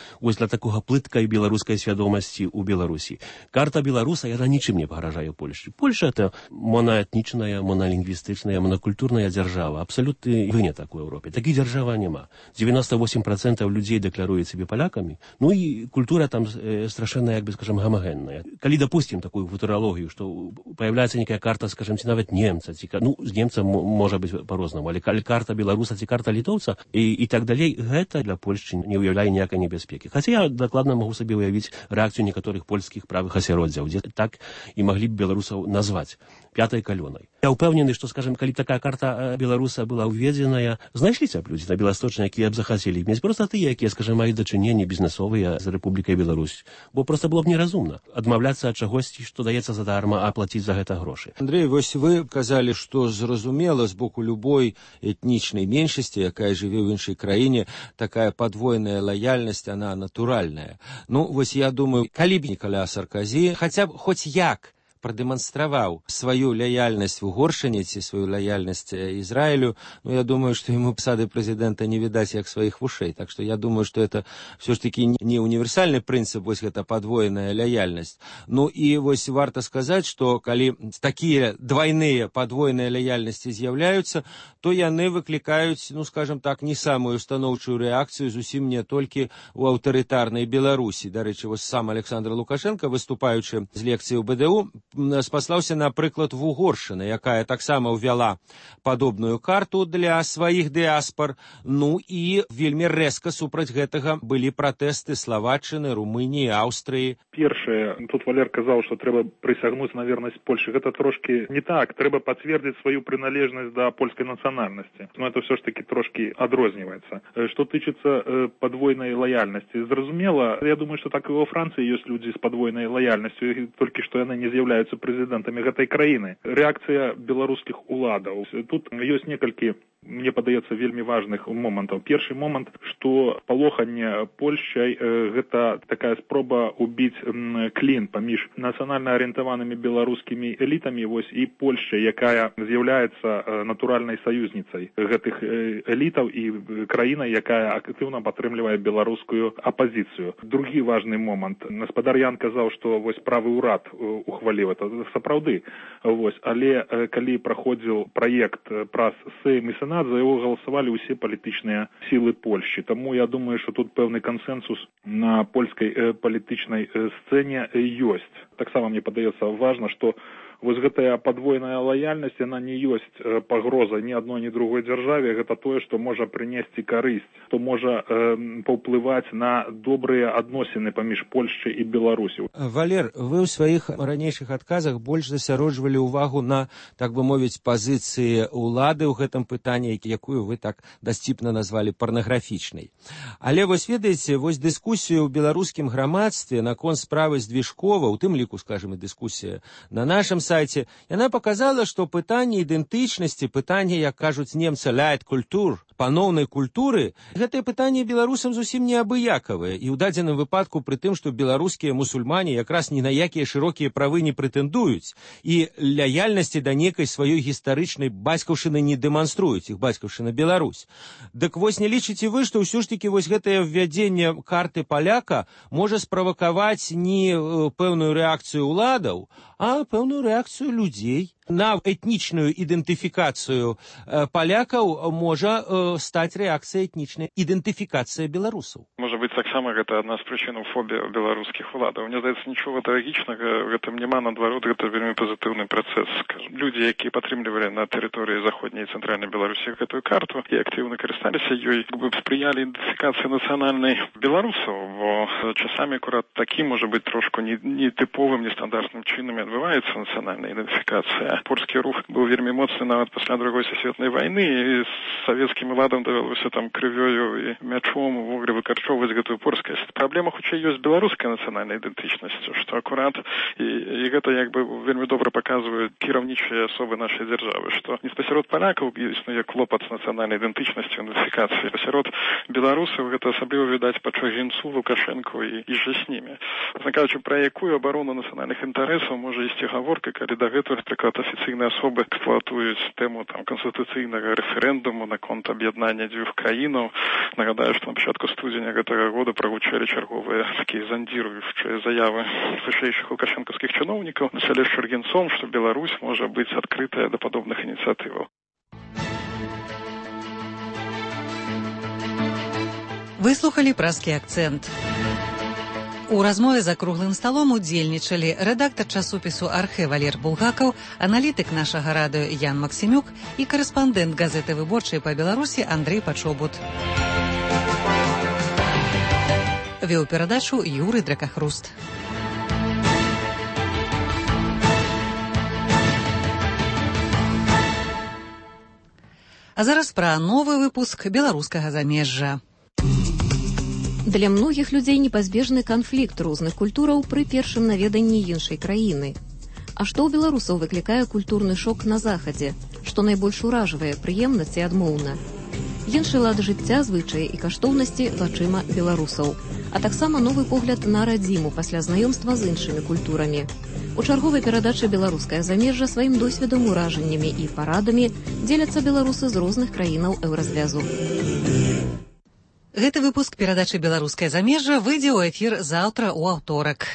такога плыткай беларускай свядомасці ў Беларусі. Карта беларуса, яна нічым не пагражае Польшчы. Польша — это монаэтнічная, монолінгвістычная, монакультурная дзяржава. Абсалютны вынятак у Европе. Такіх дзяржава няма. 98% людзей дэкларуюць сябе палякамі. І культура там страшэнна, скажем, гамагенная. Калі допустим такую футурологію, што появляецца некая карта, скажем, ці нават немца, з немцам можа быць па-рознаму, але калі карта беларуса ці карта літоўца і так далей, гэта для Польшчы не ўяўляе ніякай небяспекі. Хаця я дакладна магу сабе ўявіць рэакцыю некаторых польскіх правых асяроддзяў, дзе так і маглі б беларусаў назваць. пятай калёнай. Я ўпэўнены, што, скажем, калі такая карта беларуса была ўведзеная, знайшліся б людзі на Беласточнай, якія б захацелі мець проста тыя, якія, скажем, маюць дачыненні бізнесовыя з Рэпублікай Беларусь. Бо проста было б неразумна адмаўляцца ад чагосьці, што даецца задарма, а плаціць за гэта грошы. Андрей, вось вы казалі, што зразумела з боку любой этнічнай меншасці, якая жыве ў іншай краіне, такая падвойная лаяльнасць, она натуральная. Ну, вось я думаю, калі б Ніколя Саркозі хаця б хоць як продемонстраваў сваю лояльнасць Угоршыне ці сваю лояльнасць Израилю, ну, я думаю, что ему псады президента не видать як своих вушей. Так что я думаю, что это все ж таки не универсальный принцип, вось гэта подвоенная лояльнасць. Ну и вось варта сказать, что калі такие двойные подвойные лояльности з'яўляюцца, то яны выклікаюць, ну, скажем так, не самую станоўчую реакцию зусім не толькі у аўтарытарнай Беларусі. Дарэчы, вось сам Александр Лукашенко, выступаючы з лекцыі ў БДУ, спаслаўся, напрыклад, в Угоршыны, якая таксама ўвяла падобную карту для сваіх дыаспор. Ну і вельмі рэзка супраць гэтага былі пратэсты Словаччыны, Румыніі, Аўстрыі. Першае, тут Валер казаў, што трэба прысягнуць на вернасць Польшы. Гэта трошки не так. Трэба пацвердзіць сваю прыналежнасць да польскай нацыянальнасці. Но это все ж таки трошки адрозніваецца. Што тычыцца падвойнай лаяльнасці, зразумела, я думаю, што так і во Францыі ёсць людзі з падвойнай лаяльнасцю, толькі што яны не з'яўляюцца прэзідэнтамі гэтай краіны. Рэакцыя беларускіх уладаў. Тут ёсць некалькі, мне падаецца, вельмі важных момантаў. Першы момант, што палоханне Польшчай гэта такая спроба убіць клін паміж нацыянальна арыентаванымі беларускімі элітамі, вось, і Польшчай, якая з'яўляецца натуральнай саюзніцай гэтых элітаў і краінай, якая актыўна падтрымлівае беларускую апазіцыю. Другі важны момант. Гаспадар Ян казаў, што вось правы ўрад ухваліў это. Сапраўды. Вось, але калі праходзіў праект праз Сейм і Сенат, за яго галасавалі ўсе палітычныя сілы Польшчы. Таму я думаю, што тут пэўны кансенсус на польскай палітычнай сцэне ёсць. Таксама мне падаецца важна, што вось гэтая падвойная лаяльнасць, яна не ёсць пагроза ні адной, ні другой дзяржаве. Гэта тое, што можа прынесці карысць, што можа паўплываць на добрыя адносіны паміж Польшчай і Беларусю. Валер, вы ў сваіх ранейшых адказах больш засяроджвалі ўвагу на, так бы мовіць, пазіцыі ўлады ў гэтым пытанні, якую вы так дасціпна назвалі парнаграфічнай. Але вось ведаеце, вось дыскусію ў беларускім грамадстве наконт справы Здвижкова, у тым ліку, скажем, і дыскусія на нашым сайце, яна показала, што пытанне ідэнтычнасці, пытанне, як кажуць немцы, «Leitkultur», паноўнай культуры, гэтае пытанне беларусам зусім не абыякавае. І ў дадзеным выпадку пры тым, што беларускія мусульмане якраз ні на якія шырокія правы не прэтэндуюць і лаяльнасці да некай сваёй гістарычнай бацькаўшчыны не дэманструюць, іх бацькаўшчына Беларусь. Дык вось не лічыце вы, што ўсё ж такі вось гэтае ввядзенне карты паляка можа справакаваць не пэўную рэакцыю ўладаў, а пэўную рэакцыю людзей. На этнічную ідэнтыфікацыю палякаў можа стаць рэакцыя этнічная ідэнтыфікацыя беларусаў. Можа быць, таксама гэта адна з прычынаў фобіі беларускіх уладаў. Мне здаецца, нічога трагічнага в гэтым няма, наадварот, гэта вельмі пазітыўны працэс. Людзі, якія падтрымлівалі на тэрыторыі заходняй і цэнтральнай Беларусі гэтую карту і актыўна карысталіся ёй, спрыялі ідэнтыфікацыі нацыянальнай беларусаў, бо часамі акурат такі, можа быць, трошку нетыповым, нестандартным чынам адбываецца нацыянальная ідэнтыфікацыя. Польскі рух быў вельмі моцны нават пасля Другой сусветнай вайны, і з савецкім уладам давялося там крывёю і мячом увогуле выкарчоўваць гэтую польскасць. Праблема хутчэй ёсць беларускай нацыянальнай ідэнтычнасцю, што акурат і гэта як бы вельмі добра паказваюць кіраўнічыя асобы нашай дзяржавы, што не пасярод палякаў існуе клопат з нацыянальнай ідэнтычнасцю, ідэнтыфікацыі. Пасярод беларусаў гэта асабліва відаць па Чагінцу, Лукашэнку і жа з німі. Кажучы, пра якую абарону нацыянальных інтарэсаў можа ісці гаворка, калі дагэтуль, напрыклад, афіцыйныя асобы эксплуатуюць тэму там канстытуцыйнага рэферэндуму наконт аб'яднання дзвюх краінаў. Нагадаю, што на пачатку студзеня гэтага года прагучалі чарговыя такія зандзіруючыя заявы вышэйшых лукашэнкаўскіх чыноўнікаў на чале з Чаргінцом, што Беларусь можа быць адкрытая да падобных ініцыятываў. Выслухалі празкі акцэнт. У размове за круглым сталом удзельнічалі рэдактар часопісу «Архэ» Валер Булгакаў, аналітык нашага радыё Ян Максімюк і карэспандэнт газеты «Выборчай» па Беларусі Андрэй Пачобут. Вёў перадачу Юрый Дракахруст. А зараз пра новы выпуск беларускага замежжа. Для многіх людзей непазбежны канфлікт розных культураў пры першым наведанні іншай краіны. А што ў беларусаў выклікае культурны шок на захадзе? Што найбольш уражвае, прыемна ці адмоўна? Іншы лад жыцця, звычаі і каштоўнасці вачыма беларусаў, а таксама новы погляд на радзіму пасля знаёмства з іншымі культурамі. У чарговай перадачы «Беларускае замежжа» сваім досведам, уражаннямі і парадамі дзеляцца беларусы з розных краінаў еўразвязу. Гэты выпуск перадачы «Беларускае замежжа» выйдзе ў эфір заўтра ў аўторак.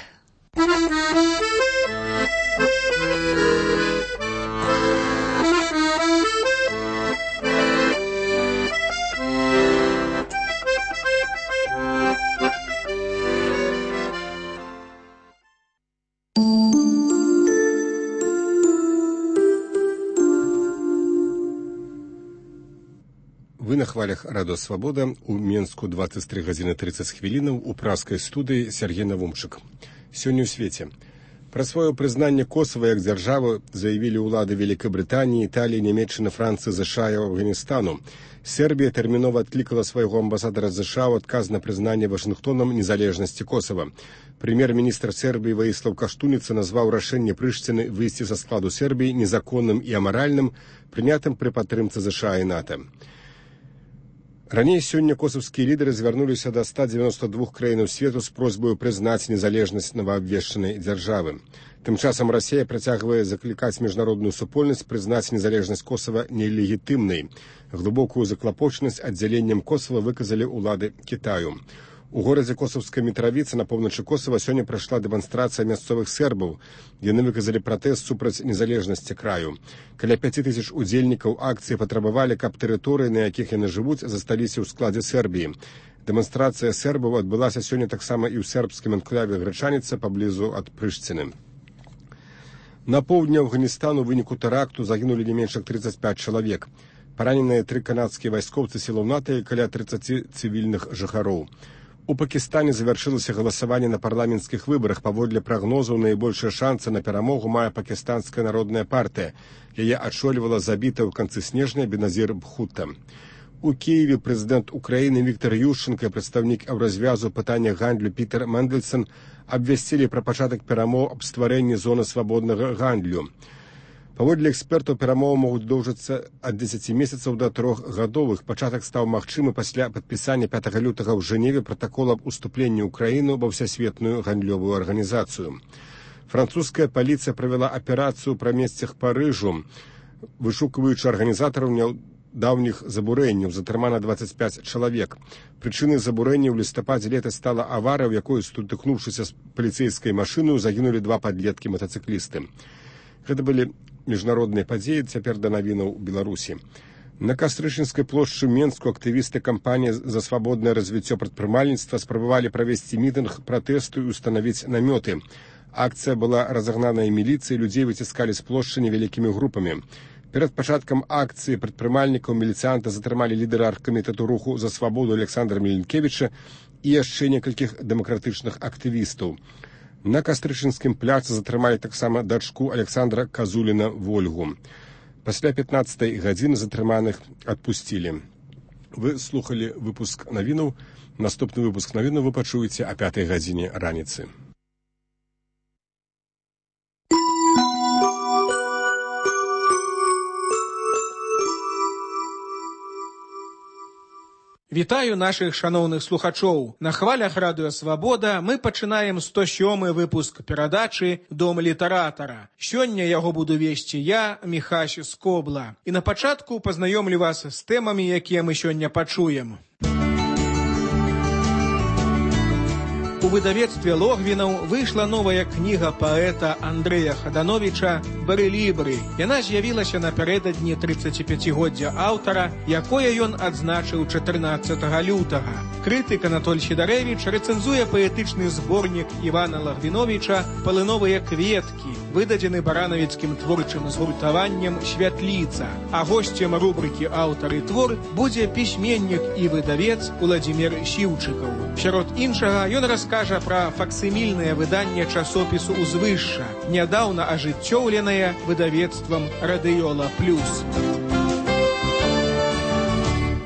Вы на хвалях радио «Свобода». У Менску 23 гадзіны 30 хвілінаў, у праскай студыі Сергей Навумчык. Сёння ў свеце. Пра сваё прызнанне Косава як дзяржавы заявілі ўлады Великабрытаніі, Італіі, Нямецчыны, Францыі, ЗША і Афганістану. Сербія тэрмінова адклікала свайго амбасадара ЗША ў адказ на прызнанне Вашынгтонам незалежнасці Косава. Прэм'ер-міністр Сербіі Ваіслаў Каштуніца назваў рашэнне Прышціны выйсці са складу Сербіі незаконным і амаральным, прынятым пры падтрымцы ЗША і НАТО. Раней сёння косавскія лідары звярнуліся да 192 краінаў свету з просьбаю прызнаць незалежнасць новаабвешчанай дзяржавы. Тым часам Расія працягвае заклікаць міжнародную супольнасць прызнаць незалежнасць Косава нелегітымнай. Глыбокую заклапочанасць аддзяленнем Косава выказалі ўлады Кітаю. У горадзе Косавская Мітравіца на поўначы Косава сёння прайшла дэманстрацыя мясцовых сербаў. Яны выказалі пратэст супраць незалежнасці краю. Каля 5000 удзельнікаў акцыі патрабавалі, каб тэрыторыі, на якіх яны жывуць, засталіся ў складзе Сербіі. Дэманстрацыя сербаў адбылася сёння таксама і ў сербскім анклаве Грачаніца паблізу ад Прышціны. На поўдні Афганістану ў выніку тэракту загінулі не менш як 35 чалавек. Параненыя 3 канадскія вайскоўцы сілаў НАТО і каля 30 цывільных жыхароў. У Пакістане завяршылася галасаванне на парламенцкіх выбарах. Паводле прагнозаў, найбольшыя шансы на перамогу мае Пакістанская народная партыя. Яе адшолівала забітая ў канцы снежня Беназір Бхутта. У Киеве прэзідэнт Украіны Віктор Ющенка і прадстаўнік еўразвязу пытання гандлю Пітер Мендельсон абвясцілі пра пачатак перамоў аб стварэнні зоны свабоднага гандлю. Паводле экспертаў, перамовы могуць доўжыцца ад 10 месяцаў да 3 гадовых. Пачатак стаў магчымы пасля падпісання 5 лютага ў Жэневе пратакола аб уступленні ўкраіны ва ўсасветную гандлёвую арганізацыю. Французская паліцыя правяла аперацыю пра месцах Парыжу, вышукваючы арганізатараў нядаўніх забурэнняў. Затрымана 25 чалавек. Прычынай забурэння ў лістападзе летась стала аварыя, у якой, сутыкнуўшыся з паліцэйскай машынаю, загінулі 2 падлеткі-матацыклісты. Гэта былі міжнародныя падзеі, цяпер да навінаў Беларусі. На Кастрычынскай плошчы Менску актывісты кампаніі за свабоднае развіццё прадпрымальніцтва спрабавалі правесці мітынг пратэсту і устанавіць намёты. Акцыя была разагнаная міліцыяй, людзей выціскалі з плошчы невялікімі групамі. Перад пачаткам акцыі прадпрымальнікаў міліцыянта затрымалі лідара аргкамітэту руху за свабоду Александра Міленкевіча і яшчэ некалькіх дэмакратычных актывістаў. На Кастрычынскім пляцы затрымалі таксама дачку Александра Казуліна Вольгу. Пасля 15 гадзіны затрыманых адпусцілі. Вы слухалі выпуск навінаў. Наступны выпуск навінаў вы пачуеце о 5 гадзіне раніцы. Вітаю нашых шаноўных слухачоў. На хвалях радыё «Свабода» мы пачынаем 107-й выпуск перадачы «Дом літаратара». Сёння яго буду весці я, Міхась Скобла. І на пачатку пазнаёмлю вас з тэмамі, якія мы сёння пачуем. У выдавецтве Логвінаў выйшла новая кніга паэта Андрэя Хадановіча «Барэлібры». Яна з'явілася напярэдадні 35-годдзя аўтара, якое ён адзначыў 14 лютага. Крытык Анатоль Сідарэвіч рэцэнзуе паэтычны зборнік Івана Лагвіновіча «Палыновыя кветкі», выдадзены баранавіцкім творчым згуртаваннем «Святліца». А госцем рубрыкі «Аўтар і твор» будзе пісьменнік і выдавец Уладзімір Сіўчыкаў. Сярод іншага ён раскажа пра факсімільнае выданне часопісу «Узвышша», нядаўна ажыццёўленае выдавецтвам «Радыёла Плюс».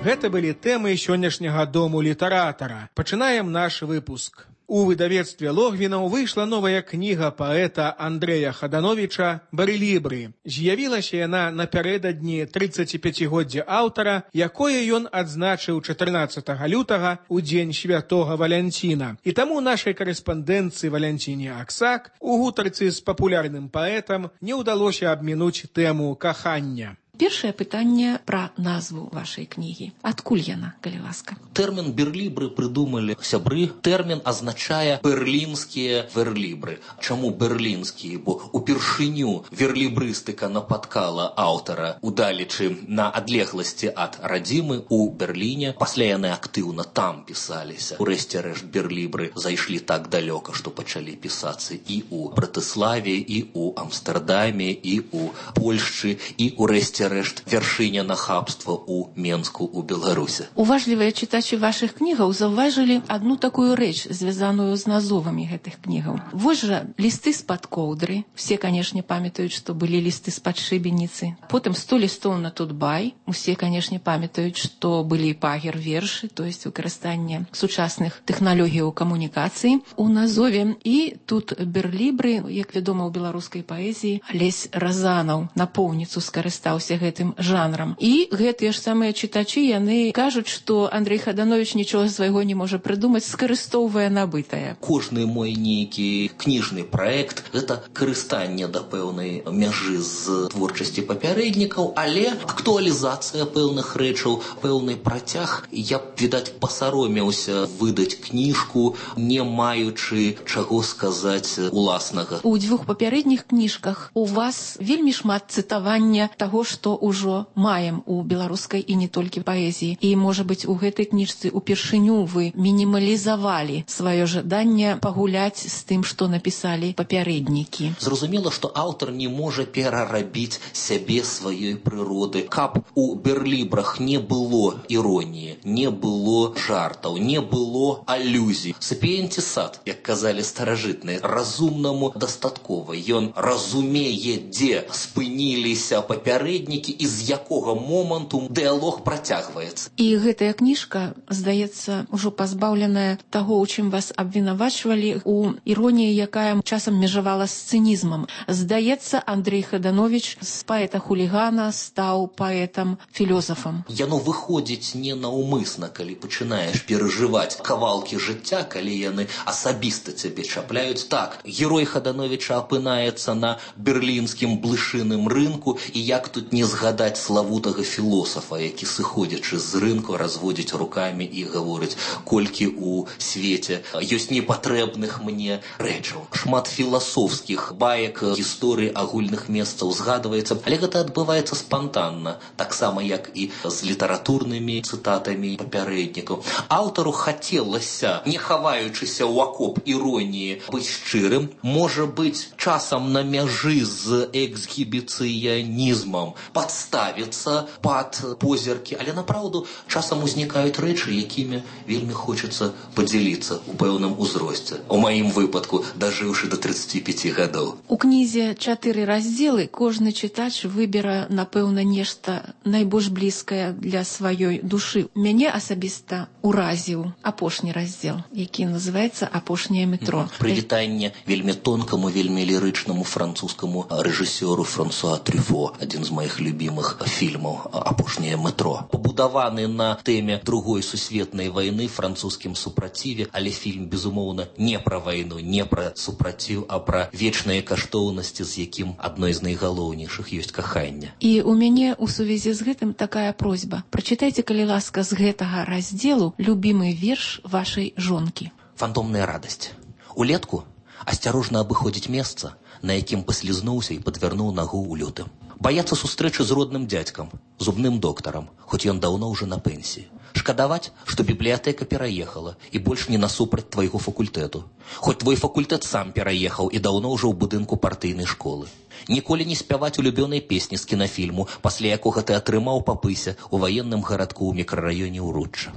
Гэта былі тэмы сённяшняга дому літаратара. Пачынаем наш выпуск. У выдавецтве Логвінаў выйшла новая кніга паэта Андрэя Хадановіча «Барэлібры». З'явілася яна напярэдадні 35-годдзя аўтара, якое ён адзначыў 14 лютага у дзень святога Валянціна. І таму нашай карэспандэнцыі Валянціне Аксак у гутарцы з папулярным паэтам не ўдалося абмінуць тэму кахання. Першае пытанне пра назву вашай кнігі. Адкуль яна, калі ласка? Тэрмін берлібры прыдумалі сябры. Тэрмін азначае берлінскія верлібры. Чаму берлінскія? Бо упершыню верлібрыстыка напаткала аўтара, удалечы на адлегласці ад радзімы у Берліне. Пасля яны актыўна там пісаліся. Урэшце рэшт берлібры зайшлі так далёка, што пачалі пісацца і ў Братыславе, і ў Амстэрдаме, і ў Польшчы, і урэшце рэшт вяршыня нахабства ў Менску, у Беларусе. Уважлівыя чытачы вашых кнігаў заўважылі адну такую рэч, звязаную з назвамі гэтых кнігаў. Вось жа лісты з-пад коўдры. Все, канешне, памятаюць, што былі лісты з-пад шыбеніцы. Потым 100 лістоў на Тутбай. Усе, канешне, памятаюць, што былі пагер-вершы, то есть выкарыстанне сучасных тэхналогіяў камунікацыі у назове. І тут берлібры, як вядома ў беларускай паэзіі, Алесь Разанаў напоўніцу скарыстаўся гэтым жанрам. І гэтыя ж самыя чытачы, яны кажуць, што Андрэй Хадановіч нічога свайго не можа прыдумаць, скарыстоўвае набытае. Кожны мой нейкі кніжны праект – гэта карыстанне да пэўнай мяжы з творчасці папярэднікаў, але актуалізацыя пэўных рэчаў, пэўны працяг. Я б, відаць, пасаромеўся выдаць кніжку, не маючы чаго сказаць уласнага. У дзвюх папярэдніх кніжках у вас вельмі шмат цытавання таго, што ўжо маем у беларускай і не толькі паэзіі. І, можа быць, у гэтай кніжцы упершыню вы мінімалізавалі сваё жаданне пагуляць з тым, што напісалі папярэднікі. Зразумела, што аўтар не можа перарабіць сябе, сваёй прыроды. Каб у берлібрах не было іроніі, не было жартаў, не было алюзій. Сапіенціс, як казалі старажытныя, разумнаму дастаткова. Ён разумее, дзе спыніліся папярэднікі і з якога моманту дыялог працягваецца. І гэтая кніжка, здаецца, ужо пазбаўленая таго, у чым вас абвінавачвалі, у іроніі, якая часам межавала з цынізмам. Здаецца, Андрэй Хадановіч з паэта-хулігана стаў паэтам-філёзафам. Яно выходзіць ненаўмысна, калі пачынаеш перажываць кавалкі жыцця, калі яны асабіста цябе чапляюць. Так, герой Хадановіча апынаецца на берлінскім блышыным рынку, і як тут не згадаць славутага філосафа, які, сыходзячы з рынку, разводзіць рукамі і гаворыць, колькі ў свеце ёсць непатрэбных мне рэчаў. Шмат філасофскіх баек, гісторый агульных месцаў згадваецца, але гэта адбываецца спантанна, таксама як і з літаратурнымі цытатамі папярэднікаў. Аўтару хацелася, не хаваючыся ў акоп іроніі, быць шчырым, можа быць часам на мяжы з эксгібіцыянізмам, падставіцца пад позіркі, але направду часам узнікаюць рэчы, якімі вельмі хочацца падзяліцца ў пэўным узросце. У маім выпадку, дажыўшы да 35 гадоў. У кнізе 4 раздзелы, кожны чытач выбера, напэўна, нешта найбольш блізкае для сваёй душы. Мяне асабіста уразіў апошні раздзел, які называецца «Апошняе метро». Прывітанне вельмі тонкаму, вельмі лірычнаму французскаму рэжысёру Франсуа Трюфо, адзін з маіх любімых фільмаў «Апошняе метро». Пабудаваны на тэме Другой сусветнай вайны, французскім супраціве, але фільм, безумоўна, не пра вайну, не пра супраціў, а пра вечныя каштоўнасці, з якім адной з найгалоўнейшых ёсць каханне. І у мяне у сувязі з гэтым такая просьба. Прачытайце, калі ласка, з гэтага раздзелу любімы верш вашай жонкі. Фантомная радасць. Улетку асцярожна абыходзіць месца, на якім паслізнуўся і падвярнуў нагу ў лютым. Баяцца сустрэчы з родным дзядзькам, зубным доктарам, хоць ён даўно ўжо на пенсіі. Шкадаваць, што бібліятэка пераехала і больш не насупраць твайго факультэту. Хоць твой факультэт сам пераехаў і даўно ўжо ў будынку партыйнай школы. Ніколі не спяваць улюбёнай песні з кінафільму, пасля якога ты атрымаў па пысе ў ваенным гарадку ў мікрараёне Ўручча.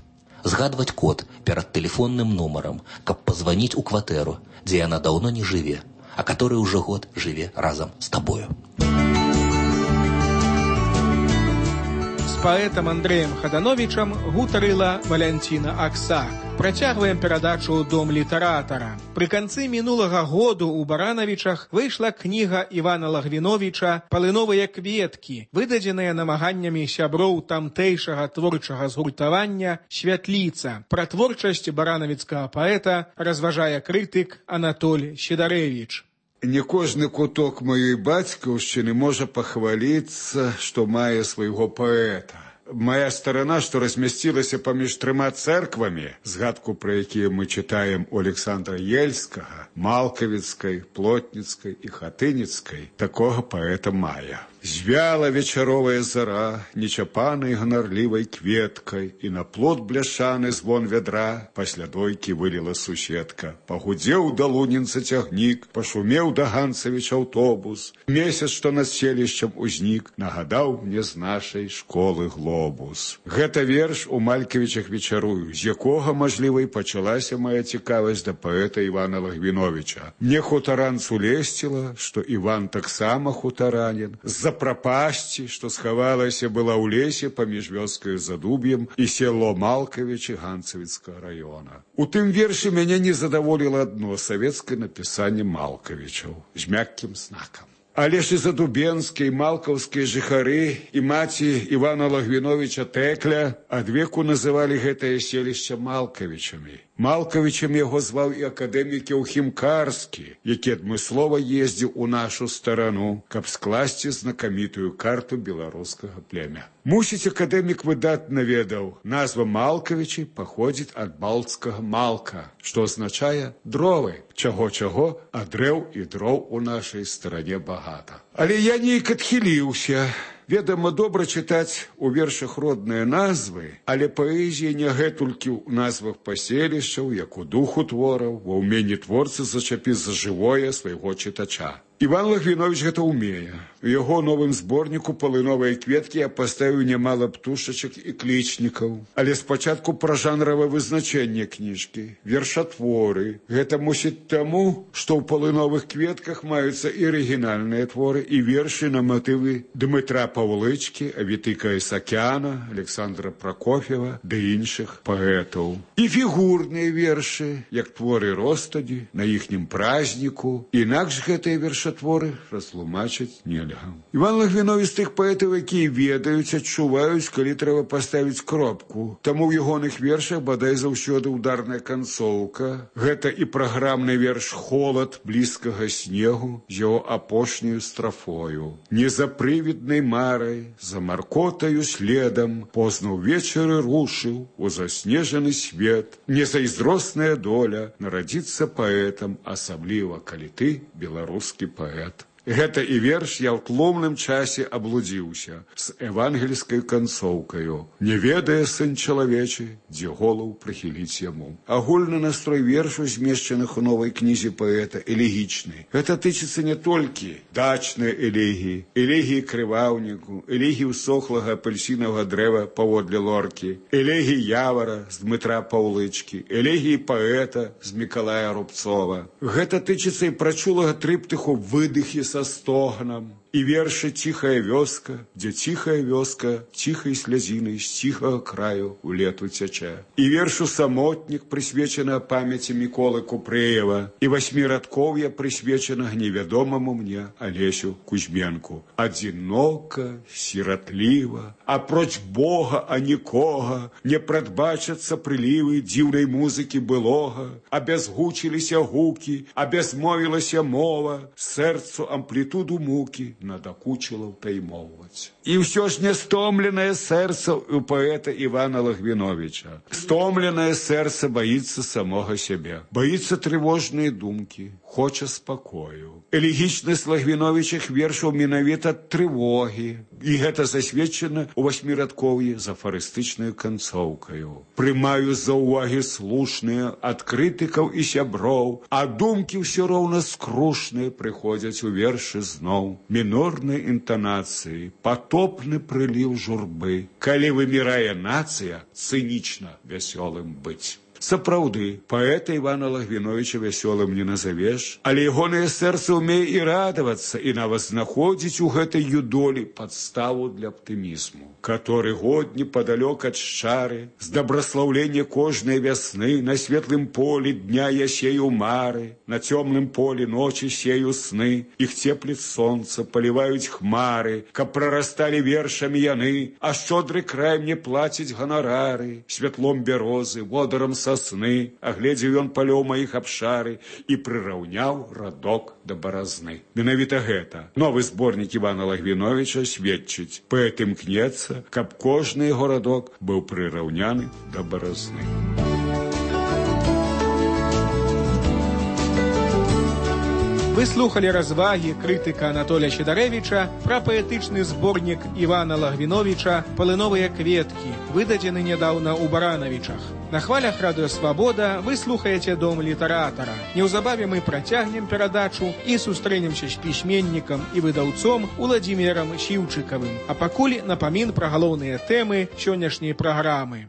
Згадваць код перад тэлефонным нумарам, каб пазваніць у кватэру, дзе яна даўно не жыве, а который ўжо год жыве разам з табою. паэтам Андрэем Хадановічам гутарыла Валянціна Аксак. Працягваем перадачу ў дом літаратара. Пры канцы мінулага году ў Баранавічах выйшла кніга Івана Лагвіновіча «Палыновыя кветкі», выдадзеная намаганнямі сяброў тамтэйшага творчага згуртавання «Святліца». Пра творчасць баранавіцкага паэта разважае крытык Анатоль Сідарэвіч. Не кожны куток маёй бацькаўшчыны можа пахваліцца, што мае свайго паэта. Моя старана, што размясцілася паміж трыма цэрквамі, згадку пра якія мы чытаем у Александра Ельскага, Малкавіцкай, Плотніцкай і Хатыніцкай, такога паэта мае. Звяла вечаровая зара, нечапанай ганарлівай кветкай, і на плот бляшаны звон вядра пасля дойкі выліла суседка. Пагудзеў да лунінца цягнік, пашумеў да Ганцавіч аўтобус. Месяц, што над селішчам узнік, нагадаў мне з нашай школы глобус. Гэта верш у Малькавічах вечарую, з якога, мажліва, і пачалася моя цікавасць да паэта Івана Лагвіновіча. Мне хутаранцу лесціла, што Іван таксама хутаранін, з-за прапасці, што схавалася была ў лесе паміж вёскаю Задуб'ем і село Малкавічы Ганцавіцкага раёна. У тым вершы мяне не задаволіла адно савецкае напісанне Малкавічаў з мяккім знакам. Але ж і задубенскія, і малкаўскія жыхары, і маці Івана Лагвіновіча Тэкля адвеку называлі гэтае селішча Малкавічамі. Малкавічам яго зваў і акадэмік Еўхім-Карскі, які адмыслова ездзіў у нашу старану, каб скласці знакамітую карту беларускага племя. Мусіць, акадэмік выдатна ведаў, назва Малкавічы паходзіць ад балцкага «малка», што азначае «дровы». Чаго-чаго, а дрэў і дроў у нашай старане багата. Але я нейк адхіліўся. Ведама, добра чытаць у вершах родныя назвы, але паэзія не гэтулькі ў назвах паселішчаў, як у духу твораў, ва ўменні творцы зачапіць за жывое свайго чытача. Іван Лагвіновіч гэта ўмее. У яго новым зборніку «Палыновыя кветкі» я паставіў нямала птушачак і клічнікаў. Але спачатку пра жанравае вызначэнне кніжкі. Вершатворы. Гэта мусіць таму, што ў «Палыновых кветках» маюцца і арыгінальныя творы, і вершы на матывы Дмытра Паўлычкі, Авітыка Ісакяна, Александра Пракоф'ева ды іншых паэтаў. І фігурныя вершы, як творы Ростаді, на іхнім празніку. Інакш гэтыя вершатворы растлумачыць нельга. Іван Лагвіновіч з тых паэтаў, якія ведаюць, адчуваюць, калі трэба паставіць кропку. Таму ў ягоных вершах бадай заўсёды ударная канцоўка. Гэта і праграмны верш «Холад блізкага снегу» з яго апошняю страфою. Не за прывіднай марай, за маркотаю следам, позна ўвечары рушыў у заснежаны свет. Незайздросная доля нарадзіцца паэтам, асабліва, калі ты беларускі паэт. Гэта і верш я ў тлумным часе аблудзіўся з евангельскай канцоўкаю. Не ведае сын чалавечы, дзе голаў прыхіліць яму. Агульны настрой вершаў, змешчаных у новай кнізе паэта, элегічны. Гэта тычыцца не толькі дачнай элегіі, элегіі крываўніку, элегіі ўсохлага апельсінавага дрэва паводле лоркі, элегіі явара з Дмытра Паўлычкі, элегіі паэта з Мікалая Рубцова. Гэта тычыцца і прачулага трыптыху «Выдыхі со стогнам», і вершы «Ціхая вёска», дзе ціхая вёска ціхай слязінай з ціхага краю ў лету цячэ. І вершу «Самотнік», прысвечана памяці Міколы Купрэева, і васьмірадкоўя, прысвечанага невядомаму мне Алесю Кузьменку. Адзінока, сіратліва, апроч Бога, а нікога, не прадбачацца прылівы дзіўнай музыкі былога, абязгучыліся гукі, абязмовілася мова, сэрцу амплітуду мукі надакучыла ўтаймоўваць. І ўсё ж не стомленае сэрца у паэта Івана Лагвіновіча. Стомленае сэрца баіцца самога сябе, баіцца трывожныя думкі, хоча спакою. Элегічнасць Лагвіновічых вершаў менавіта трывогі, і гэта засведчана ў васьмірадкоўі з афарыстычнаю канцоўкаю. Прымаю за ўвагі слушныя ад крытыкаў і сяброў, а думкі ўсё роўна скрушныя прыходзяць у вершы зноў. Мінорнай інтанацыі, патопны прыліў журбы. Калі вымірае нацыя, цынічна вясёлым быць. Сапраўды, паэта Івана Лагвіновіча вясёлым не назавеш, але ягонае сэрца ўмее і радавацца, і нават знаходзіць у гэтай юдолі падставу для аптымізму. который год неподалёк от шчары, с доброславления кожной весны, на светлым поле дня я сею мары, на темном поле ночи сею сны, их теплит солнце, поливают хмары, каб прорастали вершами яны, а щодрый край мне платить гонорары, светлом берозы, водором сосны, оглядел он полёў моих обшары и прираўняў радок до борозны. Менавіта гэта новый сборник Ивана Лагвиновича сведчыць, поэт імкнецца, каб кожны городок быў прыраўняны да баразны. Вы слухали разваги крытыка Анатолія Сідарэвіча пра паэтычны зборнік Івана Лагвіновіча «Палыновыя кветкі», выдадзены нядаўна ў Баранавічах. На хвалях Радыё Свабода вы слухаеце Дом літаратара. Неўзабаве мы працягнем перадачу і сустрэнемся з пісьменнікам і выдаўцом Уладзімірам Сіўчыкавым. А пакуль напамін пра галоўныя тэмы сённяшняй праграмы.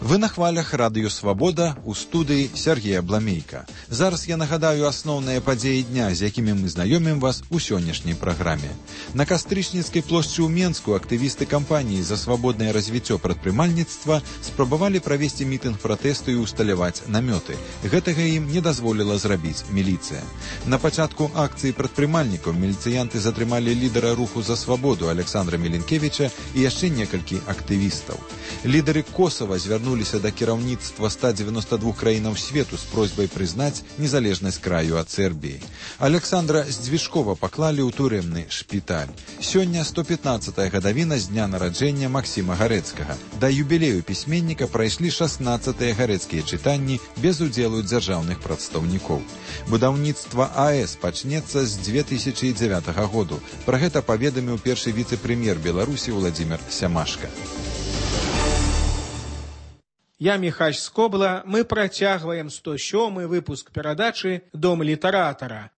Вы на хвалях Радыё Свабода у студыі Сергея Бламейка. Зараз я нагадаю асноўныя падзеі дня, з якімі мы знаёмім вас у сённяшняй праграме. На Кастрычніцкай плошчы ў Менску актывісты кампаніі за свабоднае развіццё прадпрымальніцтва спрабавалі правесці мітынг пратэсту і усталяваць намёты. Гэтага ім не дазволіла зрабіць міліцыя. На пачатку акцыі прадпрымальнікаў міліцыянты затрымалі лідара руху за свабоду Александра Міленкевіча і яшчэ некалькі актывістаў. Лідары Косава звярнуліся да кіраўніцтва 192 краінаў свету з просьбай прызнаць незалежнасць краю ад Сербіі. Александра Здвижкова паклалі ў турэмны шпіталь. Сёння 115-я гадавіна з дня нараджэння Максіма Гарэцкага. Да юбілею пісьменніка прайшлі 16-тыя гарэцкія чытанні без удзелу дзяржаўных прадстаўнікоў. Будаўніцтва АЭС пачнецца з 2009 году. Пра гэта паведаміў першы віцэ-прэм'ер Беларусі Уладзімір Сямашка. Я Міхась Скобла, мы працягваем 107-й выпуск перадачы «Дом літаратара».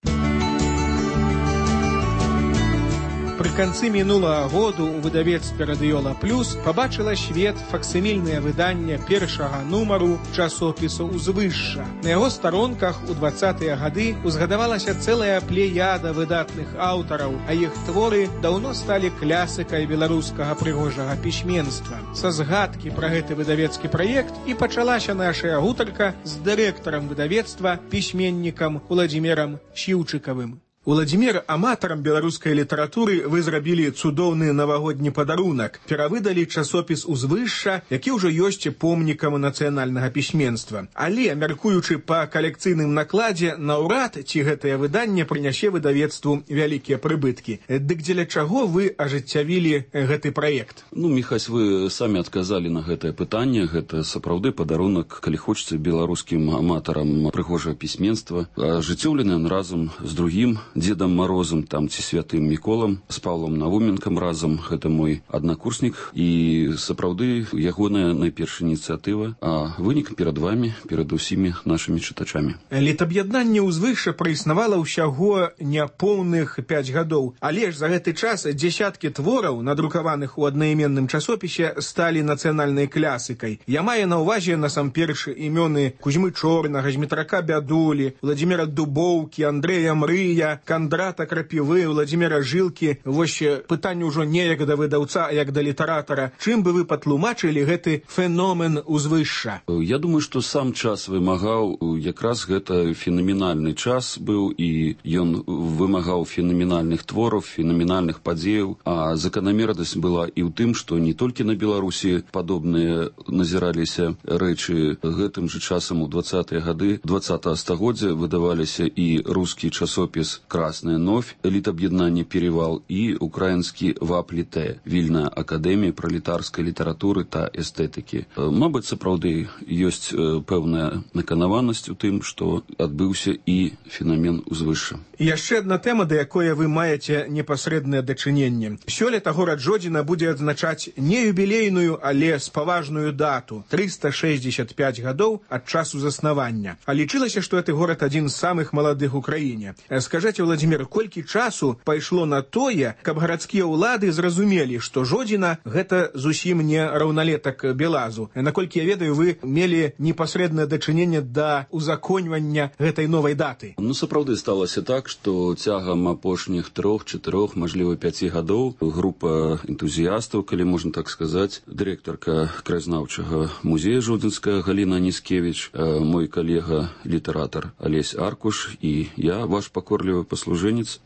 Пры канцы мінулага году ў выдавецтве «Радыёла Плюс» пабачыла свет факсімільнае выданне першага нумару часопісу «Узвышша». На яго старонках у 20-тыя гады узгадавалася цэлая плеяда выдатных аўтараў, а іх творы даўно сталі клясыкай беларускага прыгожага пісьменства. Са згадкі пра гэты выдавецкі праект і пачалася нашая гутарка з дырэктарам выдавецтва, пісьменнікам Уладзімірам Сіўчыкавым. Уладзімір, аматарам беларускай літаратуры вы зрабілі цудоўны навагодні падарунак. Перавыдалі часопіс «Узвышша», які ўжо ёсць помнікам нацыянальнага пісьменства. Але, мяркуючы па калекцыйным накладзе, наўрад ці гэтае выданне прынясе выдавецтву вялікія прыбыткі. Дык дзеля чаго вы ажыццявілі гэты праект? Міхась, вы самі адказалі на гэтае пытанне. Гэта сапраўды падарунак, калі хочацца, беларускім аматарам прыгожага пісьменства, ажыццёўлены разам з другім Дедам Морозом, там ці святым Міколам, з Павлом Навуменкам разам, гэта мой аднакурснік, і сапраўды ягоная найпершая ініцыятыва, а вынік перад вамі, перад усімі нашымі чытачамі. Літаб'яднанне «Узвышша» праіснавала ўсяго няпоўных 5 гадоў, але ж за гэты час дзесяткі твораў, надрукаваных у аднайменным часопісе, сталі нацыянальнай клясыкай. Я маю на ўвазе насамперш імёны Кузьмы Чорнага, Змітрака Бядулі, Владзіміра Дубоўкі, Андрэя Мрыя, Кандрата Крапівы, Владзіміра Жылкі. Вось пытанне ўжо не як да выдаўца, а як да літаратара. Чым бы вы патлумачылі гэты феномен «Узвышша»? Я думаю, што сам час вымагаў, якраз гэта фенаменальны час быў, і ён вымагаў фенаменальных твораў, фенаменальных падзеяў, а заканамернасць была і ў тым, што не толькі на Беларусі падобныя назіраліся рэчы. Гэтым жа часам у 20-е гады 20-го стагоддзя выдаваліся і рускі часопіс «Красная новь», літаб'яднанне «Перевал» і украінскі «Вапліте», Вільная акадэмія пралетарскай літаратуры та эстэтыкі. Мабыць, сапраўды ёсць пэўная наканаванасць у тым, што адбыўся і фенамен «Узвышша». Яшчэ адна тэма, да якой вы маеце непасрэднае дачыненне. Сёлета горад Жодзіна будзе адзначаць не юбілейную, але спаважную дату – 365 гадоў ад часу заснавання. А лічылася, што гэты горад адзін з самых маладых у краіне. Скажаце, скажаце, Владимир, колькі часу пайшло на тое, каб гарадскія ўлады зразумелі, што Жодзіна гэта зусім не раўналетак Белазу. Наколькі я ведаю, вы мелі непасрэднае дачыненне да узаконьвання гэтай новай даты. Ну, сапраўды сталася так, што цягам апошніх 3-4, мажліва 5 гадоў група энтузіястаў, калі можна так сказаць, дырэктарка краязнаўчага музея Жодзінская Галіна Аніскевіч, мой калега літаратар Алесь Аркуш і я, ваш пакорлівы паслужэнец,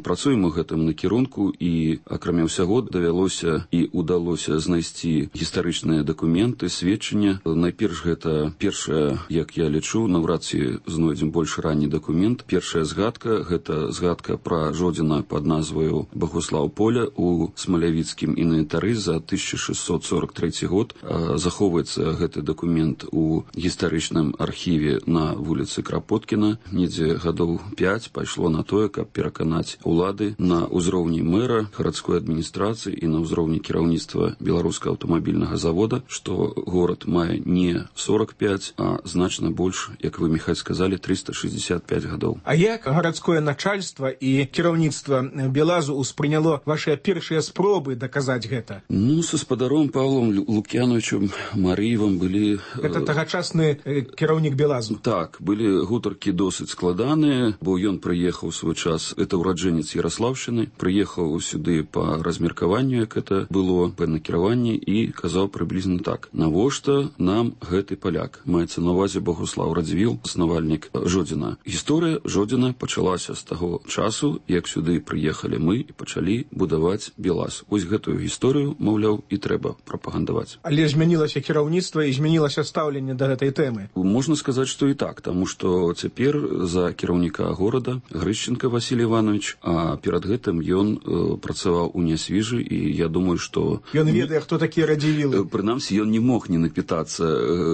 працуем у гэтым накірунку і, акрамя ўсяго, давялося і удалося знайсці гістарычныя дакументы, сведчання. Найперш гэта першая, як я лічу, наўрад ці знойдзем больш ранні дакумент. Першая згадка, гэта згадка пра Жодзіна пад назваю Багуслаў Поля у смалявіцкім інвентары за 1643 год. Захоўваецца гэты дакумент у гістарычным архіве на вуліцы Крапоткіна. Недзе гадоў 5 пайшло на тое, каб пераканаць улады на ўзроўні мэра, гарадской адміністрацыі і на ўзроўні кіраўніцтва беларускага аўтамабільнага завода, што горад мае не 45, а значна больш, як вы, Міхась, сказалі, 365 гадоў. А як гарадское начальство і кіраўніцтва Белазу успрыняло вашыя першыя спробы даказаць гэта? Ну, са спадаром Павлом Лукьяновичем Марыевым былі... Гэта тагачасны кіраўнік Белазу. Так, былі гутаркі досыць складаныя, бо ён прыехаў свой час, это ураджэнец Ярослаўшчыны, прыехаў сюды па размеркаванню, як это было, па накіраванні, і казаў прыблізна так: навошта нам гэты паляк? Маецца на ўвазе Багуслаў Радзівіл, заснавальнік Жодзіна. Гісторыя Жодзіна пачалася з таго часу, як сюды прыехалі мы і пачалі будаваць Белаз. Вось гэтую гісторыю, маўляў, і трэба прапагандаваць. Але змянілася кіраўніцтва і змянілася стаўленне да гэтай тэмы. Можна сказаць, што і так, таму што цяпер за кіраўніка горада Грышченка Васіль Іванович, а перад гэтым ён працаваў у Нясвіжы, і я думаю, што... Ён ведае, хто такія Радзівілы. Прынамсі, ён не мог не напітацца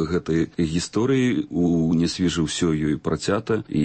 гэтай гісторыі. У Нясвіжы ўсё ёй працята, і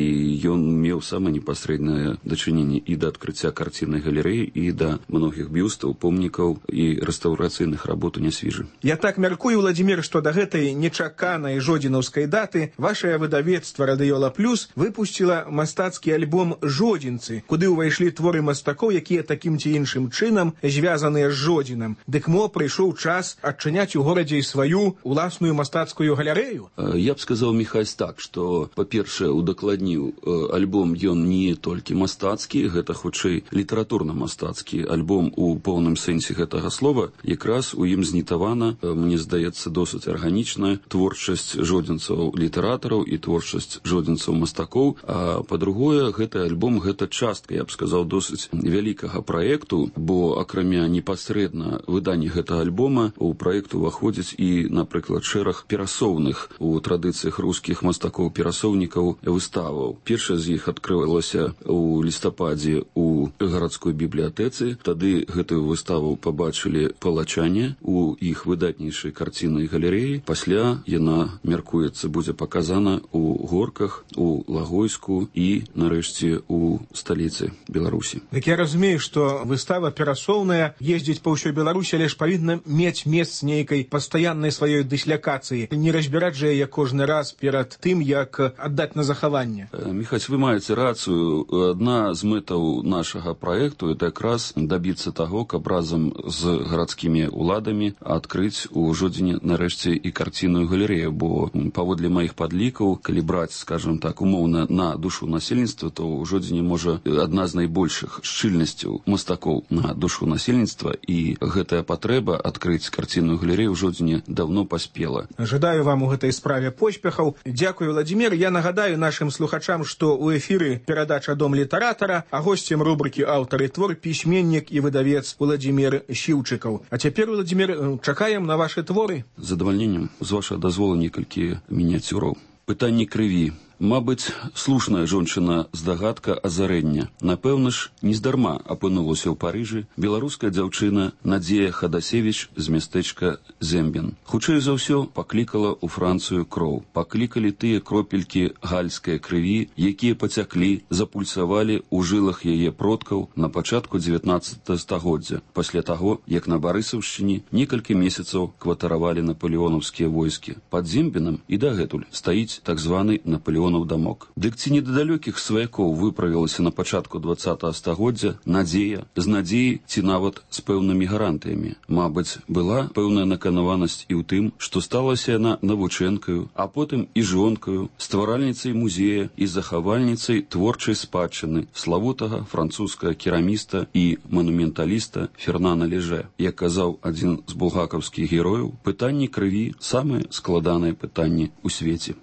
ён меў самае непасрэднае дачыненне і да адкрыцця карціннай галерэі, і да многіх бюстаў, помнікаў і рэстаўрацыйных работ у Нясвіжы. Я так мяркую, Владимир, што да гэтай нечаканай жодзінаўскай даты вашае выдавецтва «Радыёла Плюс» выпусціла мастацкі альбом «Жодзінцы», куды ўвайшлі творы мастакоў, якія такім ці іншым чынам звязаныя з Жодзінам. Дык мо прыйшоў час адчыняць у горадзе і сваю уласную мастацкую галерэю? Я б сказаў, Міхась, так, што, па-першае, удакладніў, альбом ён не толькі мастацкі, гэта хутчэй літаратурна-мастацкі альбом у поўным сэнсе гэтага слова. Якраз у ім знітавана, мне здаецца, досыць арганічная творчасць жодзінцаў-літаратараў і творчасць жодзінцаў-мастакоў. А па-другое, гэты альбом, гэта частка, я б сказаў, досыць вялікага праекту, бо акрамя непасрэдна выдання гэтага альбома у праект уваходзіць і, напрыклад, шэраг перасоўных у традыцыях рускіх мастакоў-перасоўнікаў выставаў. Першая з іх адкрылася у лістападзе у гарадской бібліятэцы. Тады гэтую выставу пабачылі палачане у іх выдатнейшай карціннай галерэі. Пасля яна, мяркуецца, будзе паказана у Горках, у Лагойску і, нарэшце, у сталіцы Беларусі. Дык я разумею, што выстава перасоўная, ездзіць па ўсёй Беларусі, але ж павінна мець месц нейкай пастаяннай сваёй дыслякацыі. Не разбіраць жа яе кожны раз перад тым, як аддаць на захаванне. Міхась, вы маеце рацыю. Адна з мэтаў нашага праекту — это якраз дабіцца таго, каб разам з гарадскімі ўладамі адкрыць у Жодзіне, нарэшце, і карцінную галерэю, бо паводле маіх падлікаў, калі браць, скажем так, умоўна на душу насельніцтва, то ў Жодзіне можа адна з найбольшых шчыльнасцяў мастакоў на душу насельніцтва, і гэтая патрэба адкрыць карцінную галерэю ў Жодзіне даўно паспела. Жадаю вам у гэтай справе поспехаў. Дзякую, Владимир. Я нагадаю нашым слухачам, што ў эфіры перадача «Дом літаратара», а госцем рубрыкі «Аўтар і твор» пісьменнік і выдавец Владимир Сіўчыкаў. А цяпер, Владимир, чакаем на вашы творы. З задавальненнем, з вашага дазволу, некалькі мініяцюраў. Пытанне крыві. Мабыць, слушная жончына здагадка азарэння. Напэўна ж, нездарма апынулася ў Парыжы беларуская дзяўчына Надзея Хадасевіч з мястэчка Зембін. Хутчэй за ўсё паклікала ў Францыю кроў. Паклікалі тыя кропелькі гальскай крыві, якія пацяклі, запульсавалі ў жылах яе продкаў на пачатку 19 стагоддзя, пасля таго, як на Барысаўшчыне некалькі месяцаў кватаравалі напалеонаўскія войскі. Пад Зембінам і дагэтуль стаіць так званы Напалеон звонаў дамок. Дык ці не да далёкіх сваякоў выправілася на пачатку 20-го стагоддзя надзея, з надзеяй ці нават з пэўнымі гарантыямі? Мабыць, была пэўная наканаванасць і ў тым, што сталася яна навучэнкаю, а потым і жонкаю, стваральніцай музея і захавальніцай творчай спадчыны славутага французскага кераміста і манументаліста Фернана Леже. Як казаў адзін з булгакаўскіх герояў, пытанні крыві – самае складанае пытанне ў свеце.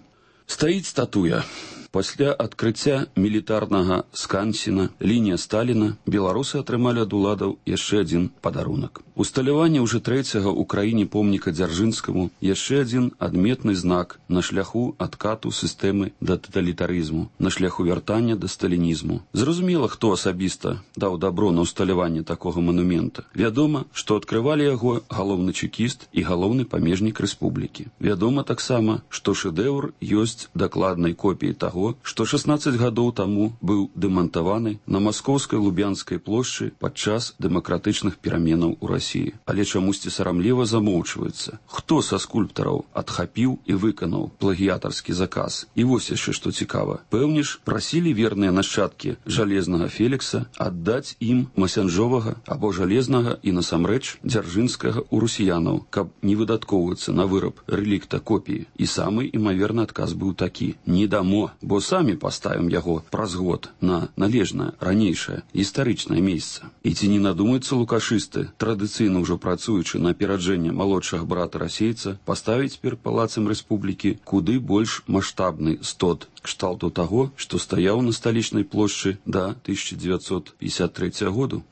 Стаіць статуя. Пасля адкрыцця мілітарнага скансена лінія Сталіна беларусы атрымалі ад уладаў яшчэ адзін падарунак. Усталяванне ўжо трэцяга ў краіне помніка Дзяржынскаму яшчэ адзін адметны знак на шляху адкату сістэмы да таталітарызму, на шляху вяртання да сталінізму. Зразумела, хто асабіста даў дабро на усталяванне такога манумента. Вядома, што адкрывалі яго галоўны чекіст і галоўны памежнік рэспублікі. Вядома таксама, што шэдэўр ёсць дакладнай копіяй таго, што 16 гадоў таму быў дэмантаваны на маскоўскай Лубянскай плошчы падчас дэмакратычных пераменаў у Расіі. Але чамусьці сарамліва замоўчваецца, хто са скульптараў адхапіў і выканаў плагіятарскі заказ. І вось яшчэ што цікава. Пэўніш, прасілі верныя нашчадкі жалезнага Фелікса аддаць ім масянжовага або жалезнага і насамрэч дзяржынскага ў русіянаў, каб не выдаткоўвацца на выраб рэлікта копіі. І самы імаверны адказ быў такі: не дамо, бо самі паставім яго праз год на належнае, ранейшае, гістарычнае месца. І ці не надумаюцца лукашысты, традыцыйна ўжо працуючы на апераджэнне малодшага брата расейца, паставіць перад палацам рэспублікі куды больш маштабны стод кшталту таго, што стаяў на сталічнай плошчы да 1953 году.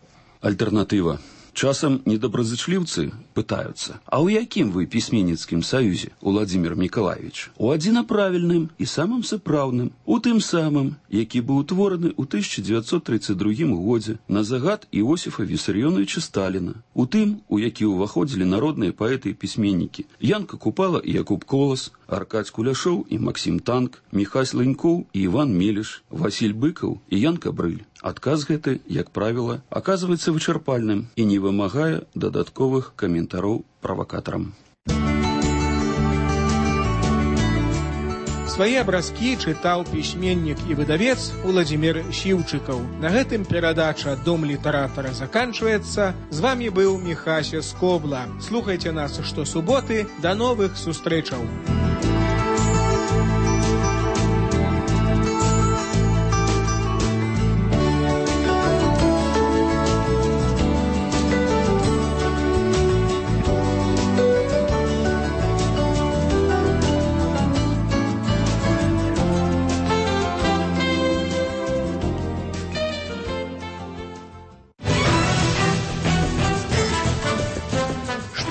Альтэрнатыва. Часам недобразычліўцы пытаюцца: а ў якім вы пісьменніцкім саюзе, Уладзімір Мікалаевіч? У адзінаправільным і самым сапраўдным, у тым самым, які быў утвораны ў 1932 годзе на загад Іосіфа Вісарыёновіча Сталіна, у тым, у які ўваходзілі народныя паэты і пісьменнікі Янка Купала і Якуб Колас, Аркадзь Куляшоў і Максім Танк, Міхась Ленькоў і Іван Меліш, Васіль Быкаў і Ян Кабрыль. Адказ гэты, як правіла, аказваецца вычарпальным і не вымагае дадатковых каментароў правакатарам. Свае абразкі чытаў пісьменнік і выдавец Уладзімір Сіўчыкаў. На гэтым перадача «Дом літаратара» заканчваецца. З вамі быў Міхася Скобла. Слухайце нас штосуботы. Да новых сустрэчаў.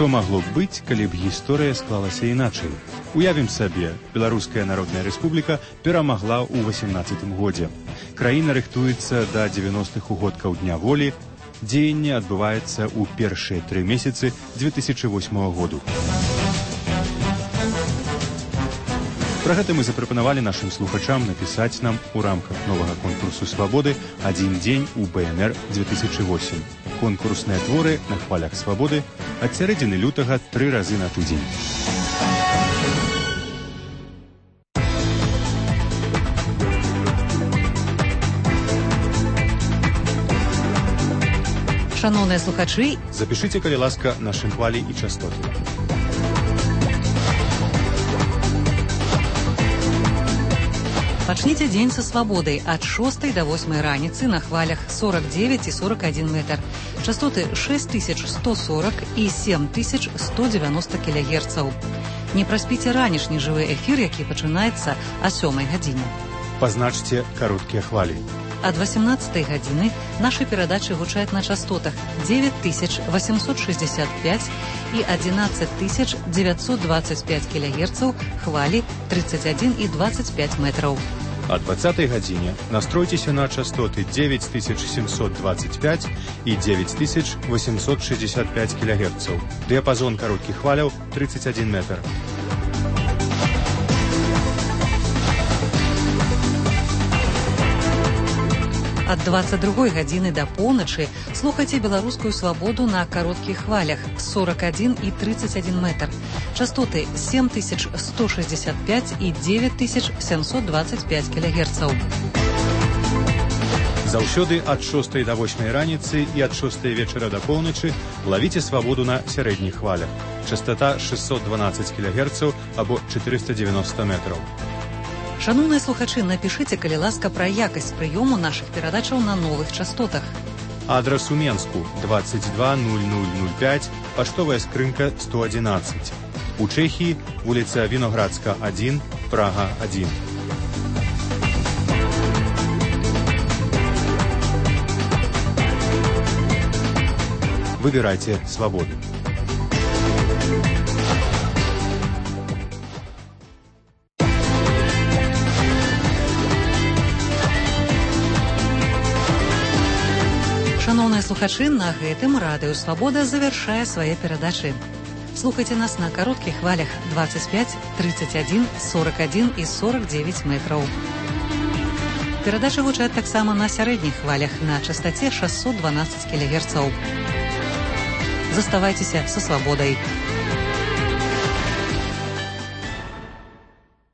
Што магло б быць, калі б гісторыя склалася іначай? Уявім сабе, Беларуская Народная Рэспубліка перамагла ў 18 годзе. Краіна рыхтуецца да 90-х угодкаў Дня волі. Дзеянне адбываецца ў першыя 3 месяцы 2008 году. Пра гэта мы запрапанавалі нашым слухачам напісаць нам у рамках новага конкурсу «Свабоды» «Адзін дзень у БНР 2008». Конкурсныя творы на хвалях свабоды ад сярэдзіны лютага 3 разы на тыдзень. Шановныя слухачы, запішыце, калі ласка, нашы хвалі і частоты. Пачніце дзень са свабодай ад 6 до 8 раніцы на хвалях 49 і 41 метр. Частоты 6140 і 7190 кілягерцаў. Не праспіце ранішні жывы эфір, які пачынаецца о 7 гадзіне. Пазначце кароткія хвалі. Ад 18 гадзіны нашы перадачы гучаць на частотах 9865 і 11925 кілягерцаў, хвалі 31 і 25 метраў. О 20 гадзіне настройцеся на частоты 9725 і 9865 кілягерцаў. Дыяпазон кароткіх хваляў 31 метр. А Ад 22 гадзіны да поўначы слухайце беларускую свабоду на кароткіх хвалях 41 і 31 метр. Частоты 7165 і 9725 кГц. Заўсёды ад 6 до 8 раніцы і ад 6 вечара да поўначы лавіце свабоду на сярэдніх хвалях. Частота 612 кГц або 490 метраў. Шановныя слухачы, напішыце, калі ласка, пра якасць прыёму нашых перадачаў на новых частотах. Адрас у Менску 220005, паштовая скрынка 111. У Чэхіі вуліца Віноградска 1, Прага 1. Выбирайте свободу. Шановныя слухачы, на гэтым радыё «Свабода» завяршае свае перадачы. Слухайце нас на кароткіх хвалях 25, 31, 41 і 49 метраў. Перадачы гучаць таксама на сярэдніх хвалях на частаце 612 кГц. Заставайцеся са свабодай.